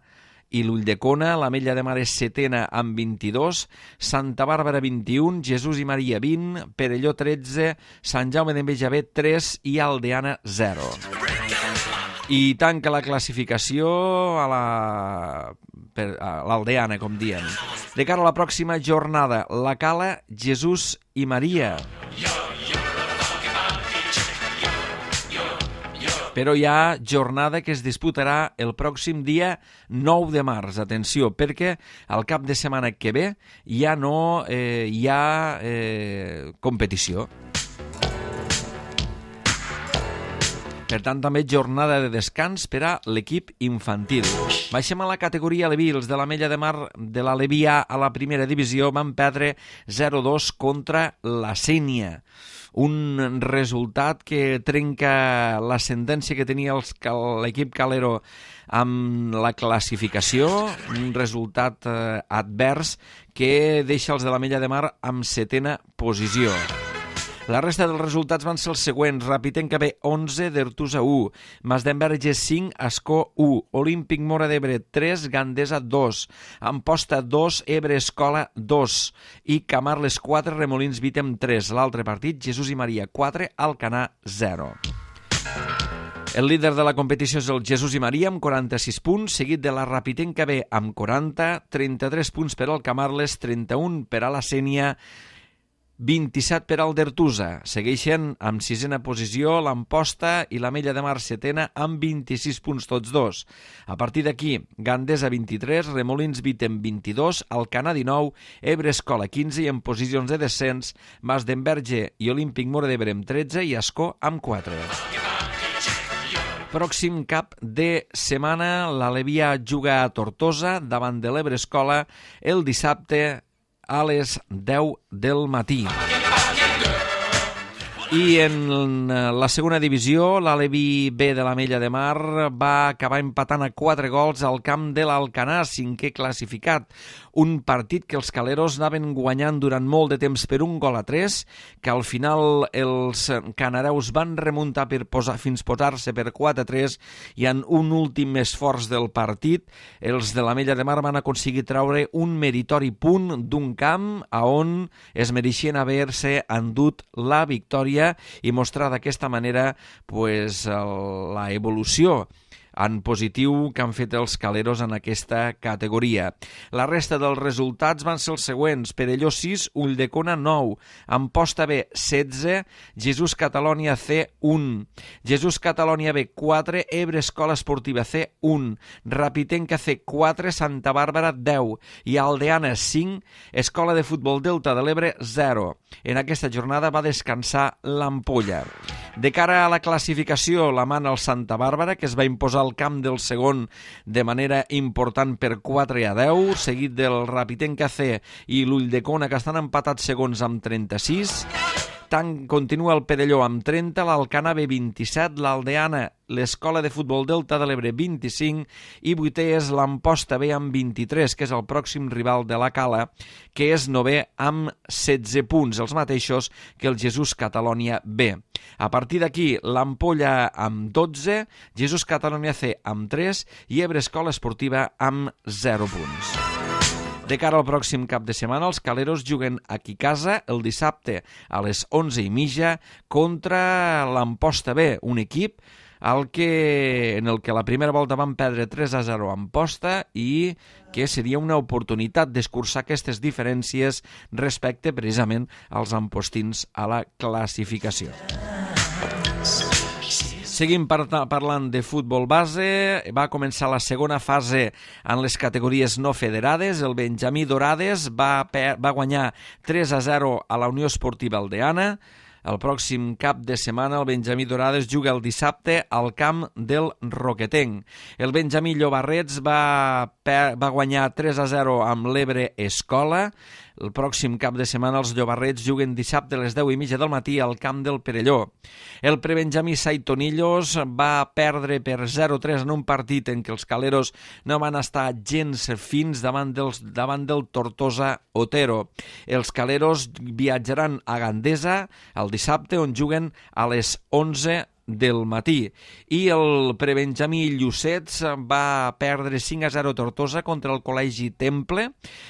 i l'Ulldecona. l'Ametlla de Mar és setena amb vint-i-dos, Santa Bàrbara vint-i-un, Jesús i Maria vint, Perelló tretze, Sant Jaume d'Enveja B tres i Aldeana zero. I tanca la classificació a la per, a l'Aldeana, com diem. De cara a la pròxima jornada, la Cala, Jesús i Maria. Però hi ha jornada que es disputarà el pròxim dia nou de març. Atenció, perquè al cap de setmana que ve ja no eh, hi ha eh, competició. Per tant, també jornada de descans per a l'equip infantil. Baixem a la categoria Aleví. Els de l'Ametlla de Mar de l'Aleví A a la primera divisió van perdre zero dos contra la Sénia. Un resultat que trenca l'ascendència que tenia els, l'equip calero amb la classificació, un resultat eh, advers que deixa els de l'Ametlla de Mar amb setena posició. La resta dels resultats van ser els següents: Rapitenca B onze, Dertusa u, Masdenverge cinc, Ascó u, Olímpic Móra d'Ebre tres, Gandesa dos, Amposta dos, Ebre Escola dos i Camarles quatre, Remolins Vítem tres. L'altre partit, Jesús i Maria quatre, Alcanar zero. El líder de la competició és el Jesús i Maria amb quaranta-sis punts, seguit de la Rapitenca B amb quaranta, trenta-tres punts per al Camarles, trenta-un per a la Sénia, vint-i-set per al Dertusa. Segueixen amb sisena posició l'Amposta i l'Ametlla de Mar setena amb vint-i-sis punts tots dos. A partir d'aquí, Gandesa vint-i-tres, Remolins Vítem vint-i-dos, Alcanar dinou, Ebre Escola quinze i en posicions de descens Masdenverge i Olímpic Móra d'Ebre amb tretze i Ascó amb quatre. Pròxim cap de setmana, l'Aleví A juga a Tortosa davant de l'Ebre Escola el dissabte a les deu del matí. I en la segona divisió, l'Aleví B de l'Ametlla de Mar va acabar empatant a quatre gols al camp de l'Alcanar, cinquè classificat. Un partit que els caleros anaven guanyant durant molt de temps per un gol a tres, que al final els canareus van remuntar per posar, fins posar-se per quatre a tres, i en un últim esforç del partit, els de l'Ametlla de Mar van aconseguir treure un meritori punt d'un camp a on es mereixien haver-se endut la victòria i mostrar d'aquesta manera pues, la evolució en positiu que han fet els caleros en aquesta categoria. La resta dels resultats van ser els següents: Perelló sis, Ulldecona nou, Amposta B setze, Jesús Catalònia C un, Jesús Catalònia B quatre, Ebre Escola Esportiva C un, Rapitenca C quatre, Santa Bàrbara deu i Aldeana cinc, Escola de Futbol Delta de l'Ebre zero. En aquesta jornada va descansar l'Ampolla. De cara a la classificació, la mana el Santa Bàrbara, que es va imposar al camp del segon de manera important per quatre a deu, seguit del Rapitenca C i l'Ulldecona, que estan empatats segons amb trenta-sis. Tant continua el Perelló amb trenta, l'Alcanar B vint-i-set, l'Aldeana, l'Escola de Futbol Delta de l'Ebre vint-i-cinc i vuitè és l'Amposta B amb vint-i-tres, que és el pròxim rival de la Cala, que és novè amb setze punts, els mateixos que el Jesús Catalònia B. A partir d'aquí, l'Ampolla amb dotze, Jesús Catalònia C amb tres i Ebre Escola Esportiva amb zero punts. De cara al pròxim cap de setmana, els caleros juguen aquí a casa el dissabte a les onze i mitja contra l'Amposta B, un equip el que, en el que la primera volta van perdre tres a zero en posta i que seria una oportunitat d'escurçar aquestes diferències respecte precisament als ampostins a la classificació. Seguim par parlant de futbol base. Va començar la segona fase en les categories no federades. El Benjamí Dorades va, va guanyar tres a zero a la Unió Esportiva Aldeana. El pròxim cap de setmana el Benjamí Dorades juga el dissabte al camp del Roquetenc. El Benjamí Llobarrets va, va guanyar tres a zero amb l'Ebre Escola. El pròxim cap de setmana els llobarrets juguen dissabte a les deu i mitja del matí al camp del Perelló. El prebenjamí Saitonillos va perdre per zero a tres en un partit en què els caleros no van estar gens fins davant, dels, davant del Tortosa Otero. Els caleros viatjaran a Gandesa el dissabte, on juguen a les onze del matí. I el prebenjamí Llucets va perdre cinc a zero a Tortosa contra el Col·legi Temple.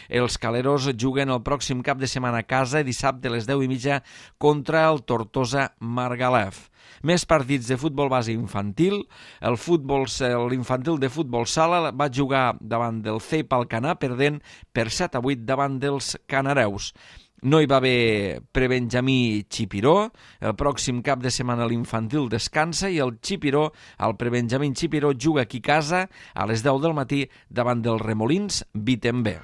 Els caleros juguen el pròxim cap de setmana a casa dissabte a les deu i mitja contra el Tortosa Margalef. Més partits de futbol base infantil. El futbol, l'infantil de futbol sala va jugar davant del C E P Alcanar, perdent per set a vuit davant dels canareus. No hi va haver prebenjamí Chipiró. El pròxim cap de setmana l'infantil descansa i el Chipiró, el prebenjamí Chipiró, juga aquí a casa a les deu del matí davant dels Remolins Vitembé.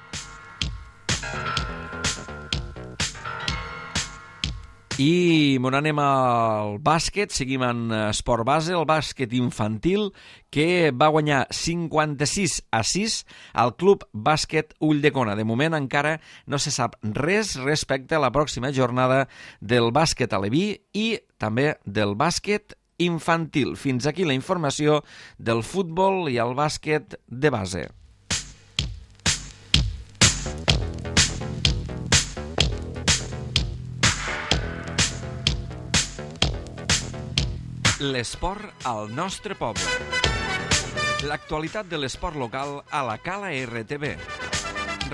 I m'on anem al bàsquet, seguim en esport base, el bàsquet infantil, que va guanyar cinquanta-sis a sis al Club Bàsquet Ulldecona. De moment encara no se sap res respecte a la pròxima jornada del bàsquet aleví i també del bàsquet infantil. Fins aquí la informació del futbol i el bàsquet de base. L'esport al nostre poble. L'actualitat de l'esport local a la Cala R T B.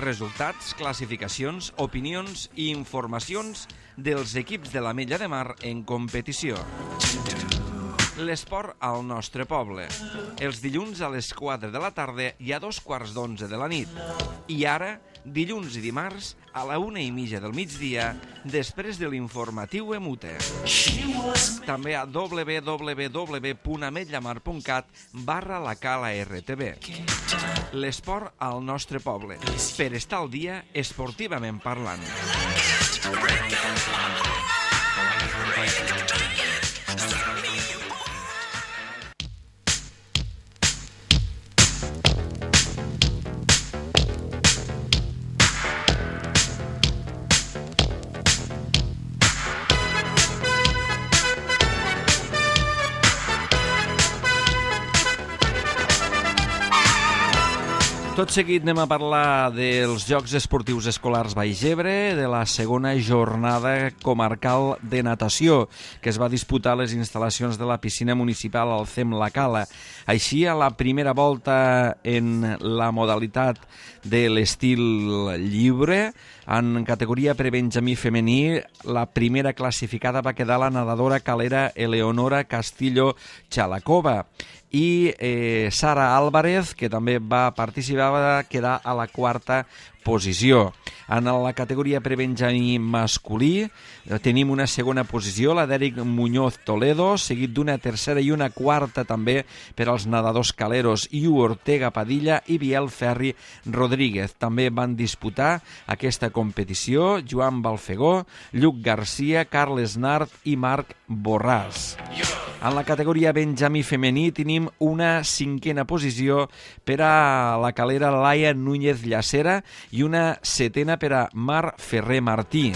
Resultats, classificacions, opinions i informacions dels equips de l'Ametlla de Mar en competició. L'esport al nostre poble. Els dilluns a les quatre de la tarda i a dos quarts d'onze de la nit. I ara, dilluns i dimarts, a la una i mitja del migdia, després de l'informatiu Emute. També a w w w punt ametllamar punt cat barra la Cala R T B. L'esport al nostre poble. Per estar al dia esportivament parlant. Tot seguit anem a parlar dels Jocs Esportius Escolars Baix-Ebre, de la segona jornada comarcal de natació, que es va disputar a les instal·lacions de la piscina municipal al C E M La Cala. Així, a la primera volta en la modalitat de l'estil lliure, en categoria prebenjamí femení, la primera classificada va quedar la nadadora calera Eleonora Castillo Chalacova. I eh, Sara Álvarez, que també va participar, va quedar a la quarta posició. En la categoria prebenjamí masculí tenim una segona posició, la d'Eric Muñoz Toledo, seguit d'una tercera i una quarta també per als nedadors caleros Iu Ortega Padilla i Biel Ferri Rodríguez. També van disputar aquesta competició Joan Balfegó, Lluc Garcia, Carles Nart i Marc Borràs. En la categoria benjamí femení tenim una cinquena posició per a la calera Laia Núñez Llacera i una setena per a Mar Ferrer Martí.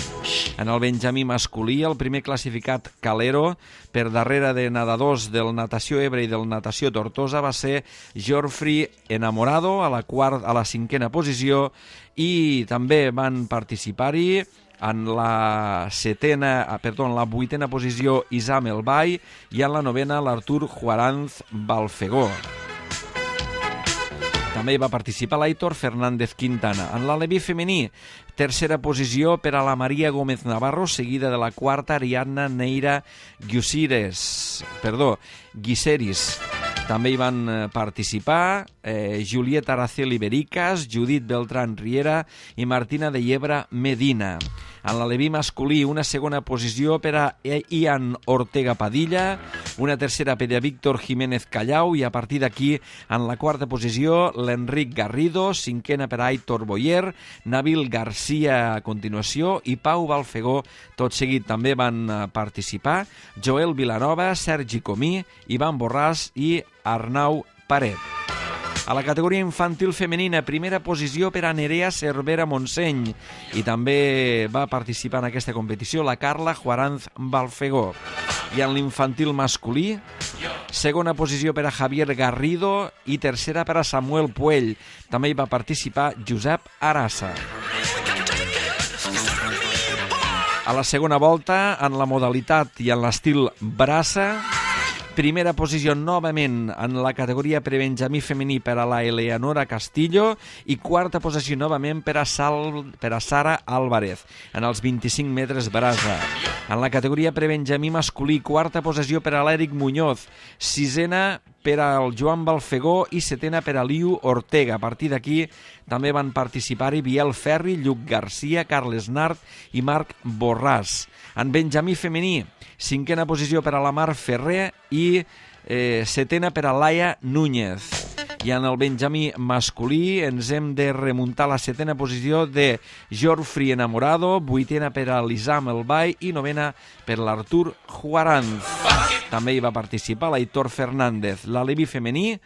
En el benjamí masculí, el primer classificat calero, per darrere de nedadors del Natació Ebre i del Natació Tortosa, va ser Jorfri Enamorado a la, quart, a la cinquena posició, i també van participar-hi en la setena, perdó, en la vuitena posició Isam El Bay i en la novena l'Artur Juaranz Balfegó. També hi va participar l'Aitor Fernández Quintana. En l'aleví femení, tercera posició per a la Maria Gómez Navarro, seguida de la quarta Ariadna Neira Guisires, perdó, Guiseris. També hi van participar eh, Julieta Araceli Bericas, Judit Beltrán Riera i Martina de Llebra Medina. En l'aleví masculí, una segona posició per a Ian Ortega Padilla, una tercera per a Víctor Jiménez Callau i a partir d'aquí, en la quarta posició, l'Enric Garrido, cinquena per a Aitor Boyer, Nabil Garcia a continuació i Pau Balfegó, tot seguit també van participar Joel Vilanova, Sergi Comí, Ivan Borràs i Arnau Paret. A la categoria infantil femenina, primera posició per a Nerea Cervera Montseny i també va participar en aquesta competició la Carla Juaranz Balfegó. I en l'infantil masculí, segona posició per a Javier Garrido i tercera per a Samuel Puell. També hi va participar Josep Arassa. A la segona volta, en la modalitat i en l'estil braça, primera posició novament en la categoria prebenjamí femení per a la Eleonora Castillo i quarta posició novament per a, Sal, per a Sara Álvarez en els vint-i-cinc metres brasa. En la categoria prebenjamí masculí, quarta posició per a l'Eric Muñoz, sisena per al Joan Balfegó i setena per a Liu Ortega. A partir d'aquí també van participar-hi Biel Ferri, Lluc Garcia, Carles Nart i Marc Borràs. En benjamí femení, cinquena posició per a la Mar Ferrer i eh, setena per a Laia Núñez. I en el benjamí masculí ens hem de remuntar a la setena posició de Jorfri Enamorado, vuitena per a l'Isam Elbai i novena per l'Artur Juaranz. També hi va participar l'Aitor Fernández. L'aleví femení,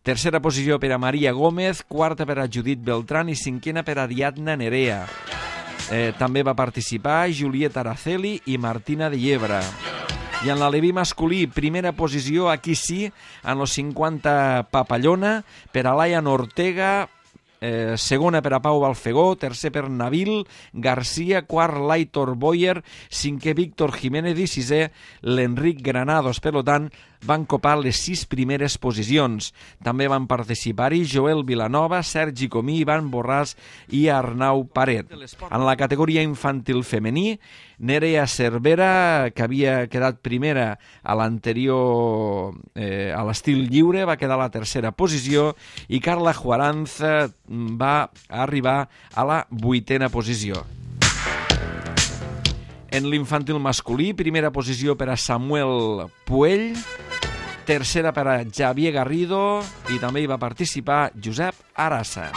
tercera posició per a Maria Gómez, quarta per a Judit Beltrán i cinquena per a Ariadna Nerea. Eh, també va participar Julieta Araceli i Martina de Llebra. I en l'aleví masculí, primera posició, aquí sí, en los cinquanta papallona, per a Laia Ortega, eh, segona per a Pau Balfegó, tercer per Nabil Garcia, quart l'Aitor Boyer, cinquè Víctor Jiménez i sisè l'Enric Granados. Per tant, van copar les sis primeres posicions. També van participar-hi Joel Vilanova, Sergi Comí, Ivan Borràs i Arnau Paret. En la categoria infantil femení, Nerea Cervera, que havia quedat primera a l'anterior, eh, a l'estil lliure, va quedar a la tercera posició i Carla Juaranz va arribar a la vuitena posició. En l'infantil masculí, primera posició per a Samuel Puell, tercera per a Javier Garrido i també hi va participar Josep Arassa.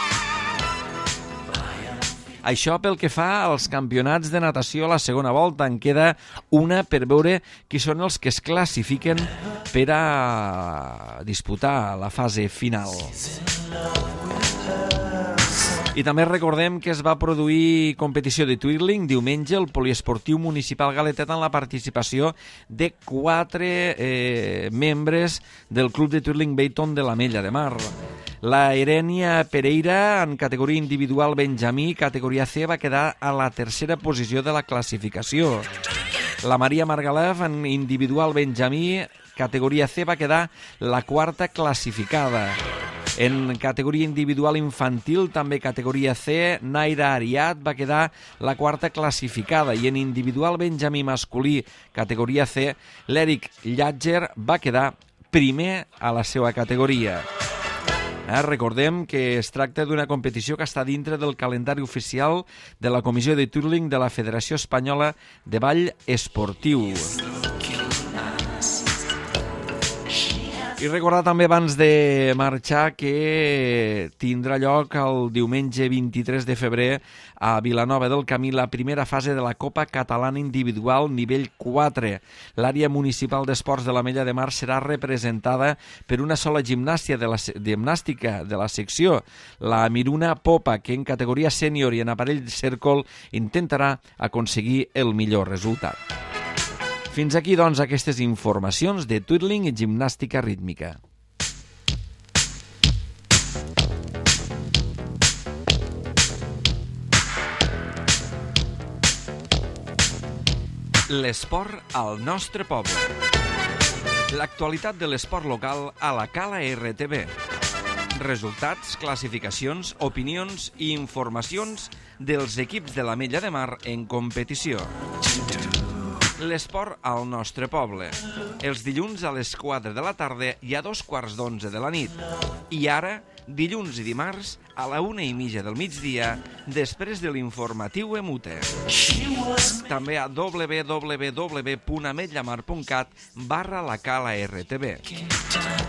Això pel que fa als campionats de natació a la segona volta. En queda una per veure qui són els que es classifiquen per a disputar la fase final. I també recordem que es va produir competició de twirling diumenge al Poliesportiu Municipal Galetet amb la participació de quatre eh, membres del Club de Twirling Bayton de l'Ametlla de Mar. La Erenia Pereira, en categoria individual benjamí, categoria C, va quedar a la tercera posició de la classificació. La Maria Margalef, en individual benjamí, categoria C, va quedar la quarta classificada. En categoria individual infantil, també categoria C, Naira Ariat va quedar la quarta classificada i en individual benjamí masculí, categoria C, l'Eric Llatger va quedar primer a la seva categoria. Eh, recordem que es tracta d'una competició que està dintre del calendari oficial de la Comissió de Twirling de la Federació Espanyola de Ball Esportiu. I recordar també abans de marxar que tindrà lloc el diumenge vint-i-tres de febrer a Vilanova del Camí la primera fase de la Copa Catalana Individual nivell quatre. L'àrea municipal d'esports de l'Ametlla de Mar serà representada per una sola gimnàstica de la, gimnàstica de la secció, la Miruna Popa, que en categoria sènior i en aparell cèrcol intentarà aconseguir el millor resultat. Fins aquí, doncs, aquestes informacions de twirling i gimnàstica rítmica. L'esport al nostre poble. L'actualitat de l'esport local a la Cala R T B. Resultats, classificacions, opinions i informacions dels equips de l'Ametlla de Mar en competició. L'esport al nostre poble. Els dilluns a les quatre de la tarda i a dos quarts d'onze de la nit. I ara, dilluns i dimarts, a la una i mitja del migdia, després de l'informatiu Emute. També a w w w punt ametllamar punt cat barra la cala R T B.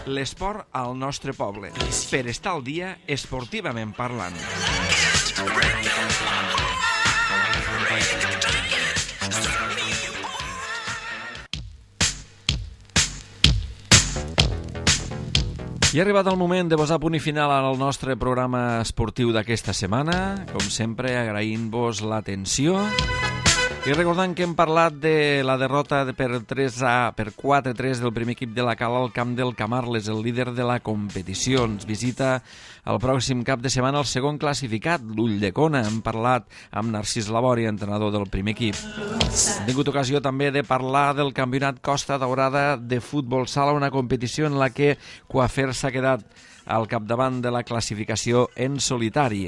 L'esport al nostre poble, per estar al dia esportivament parlant. I ha arribat el moment de posar punt i final al nostre programa esportiu d'aquesta setmana. Com sempre, agraint-vos l'atenció. I recordant que hem parlat de la derrota per tres a per quatre a tres del primer equip de la Cala al camp del Camarles, el líder de la competició. Ens visita el pròxim cap de setmana el segon classificat, l'Ulldecona. Hem parlat amb Narcís Labori, entrenador del primer equip. Hem tingut ocasió també de parlar del campionat Costa Daurada de futbol sala, una competició en la que Coafer s'ha quedat al capdavant de la classificació en solitari.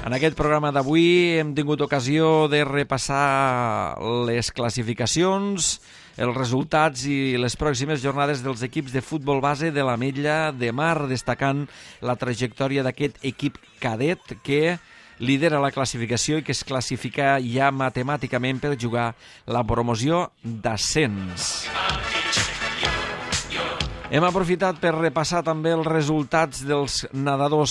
En aquest programa d'avui hem tingut ocasió de repassar les classificacions, els resultats i les pròximes jornades dels equips de futbol base de l'Ametlla de Mar, destacant la trajectòria d'aquest equip cadet que lidera la classificació i que es classifica ja matemàticament per jugar la promoció d'ascens. Hem aprofitat per repassar també els resultats dels nedadors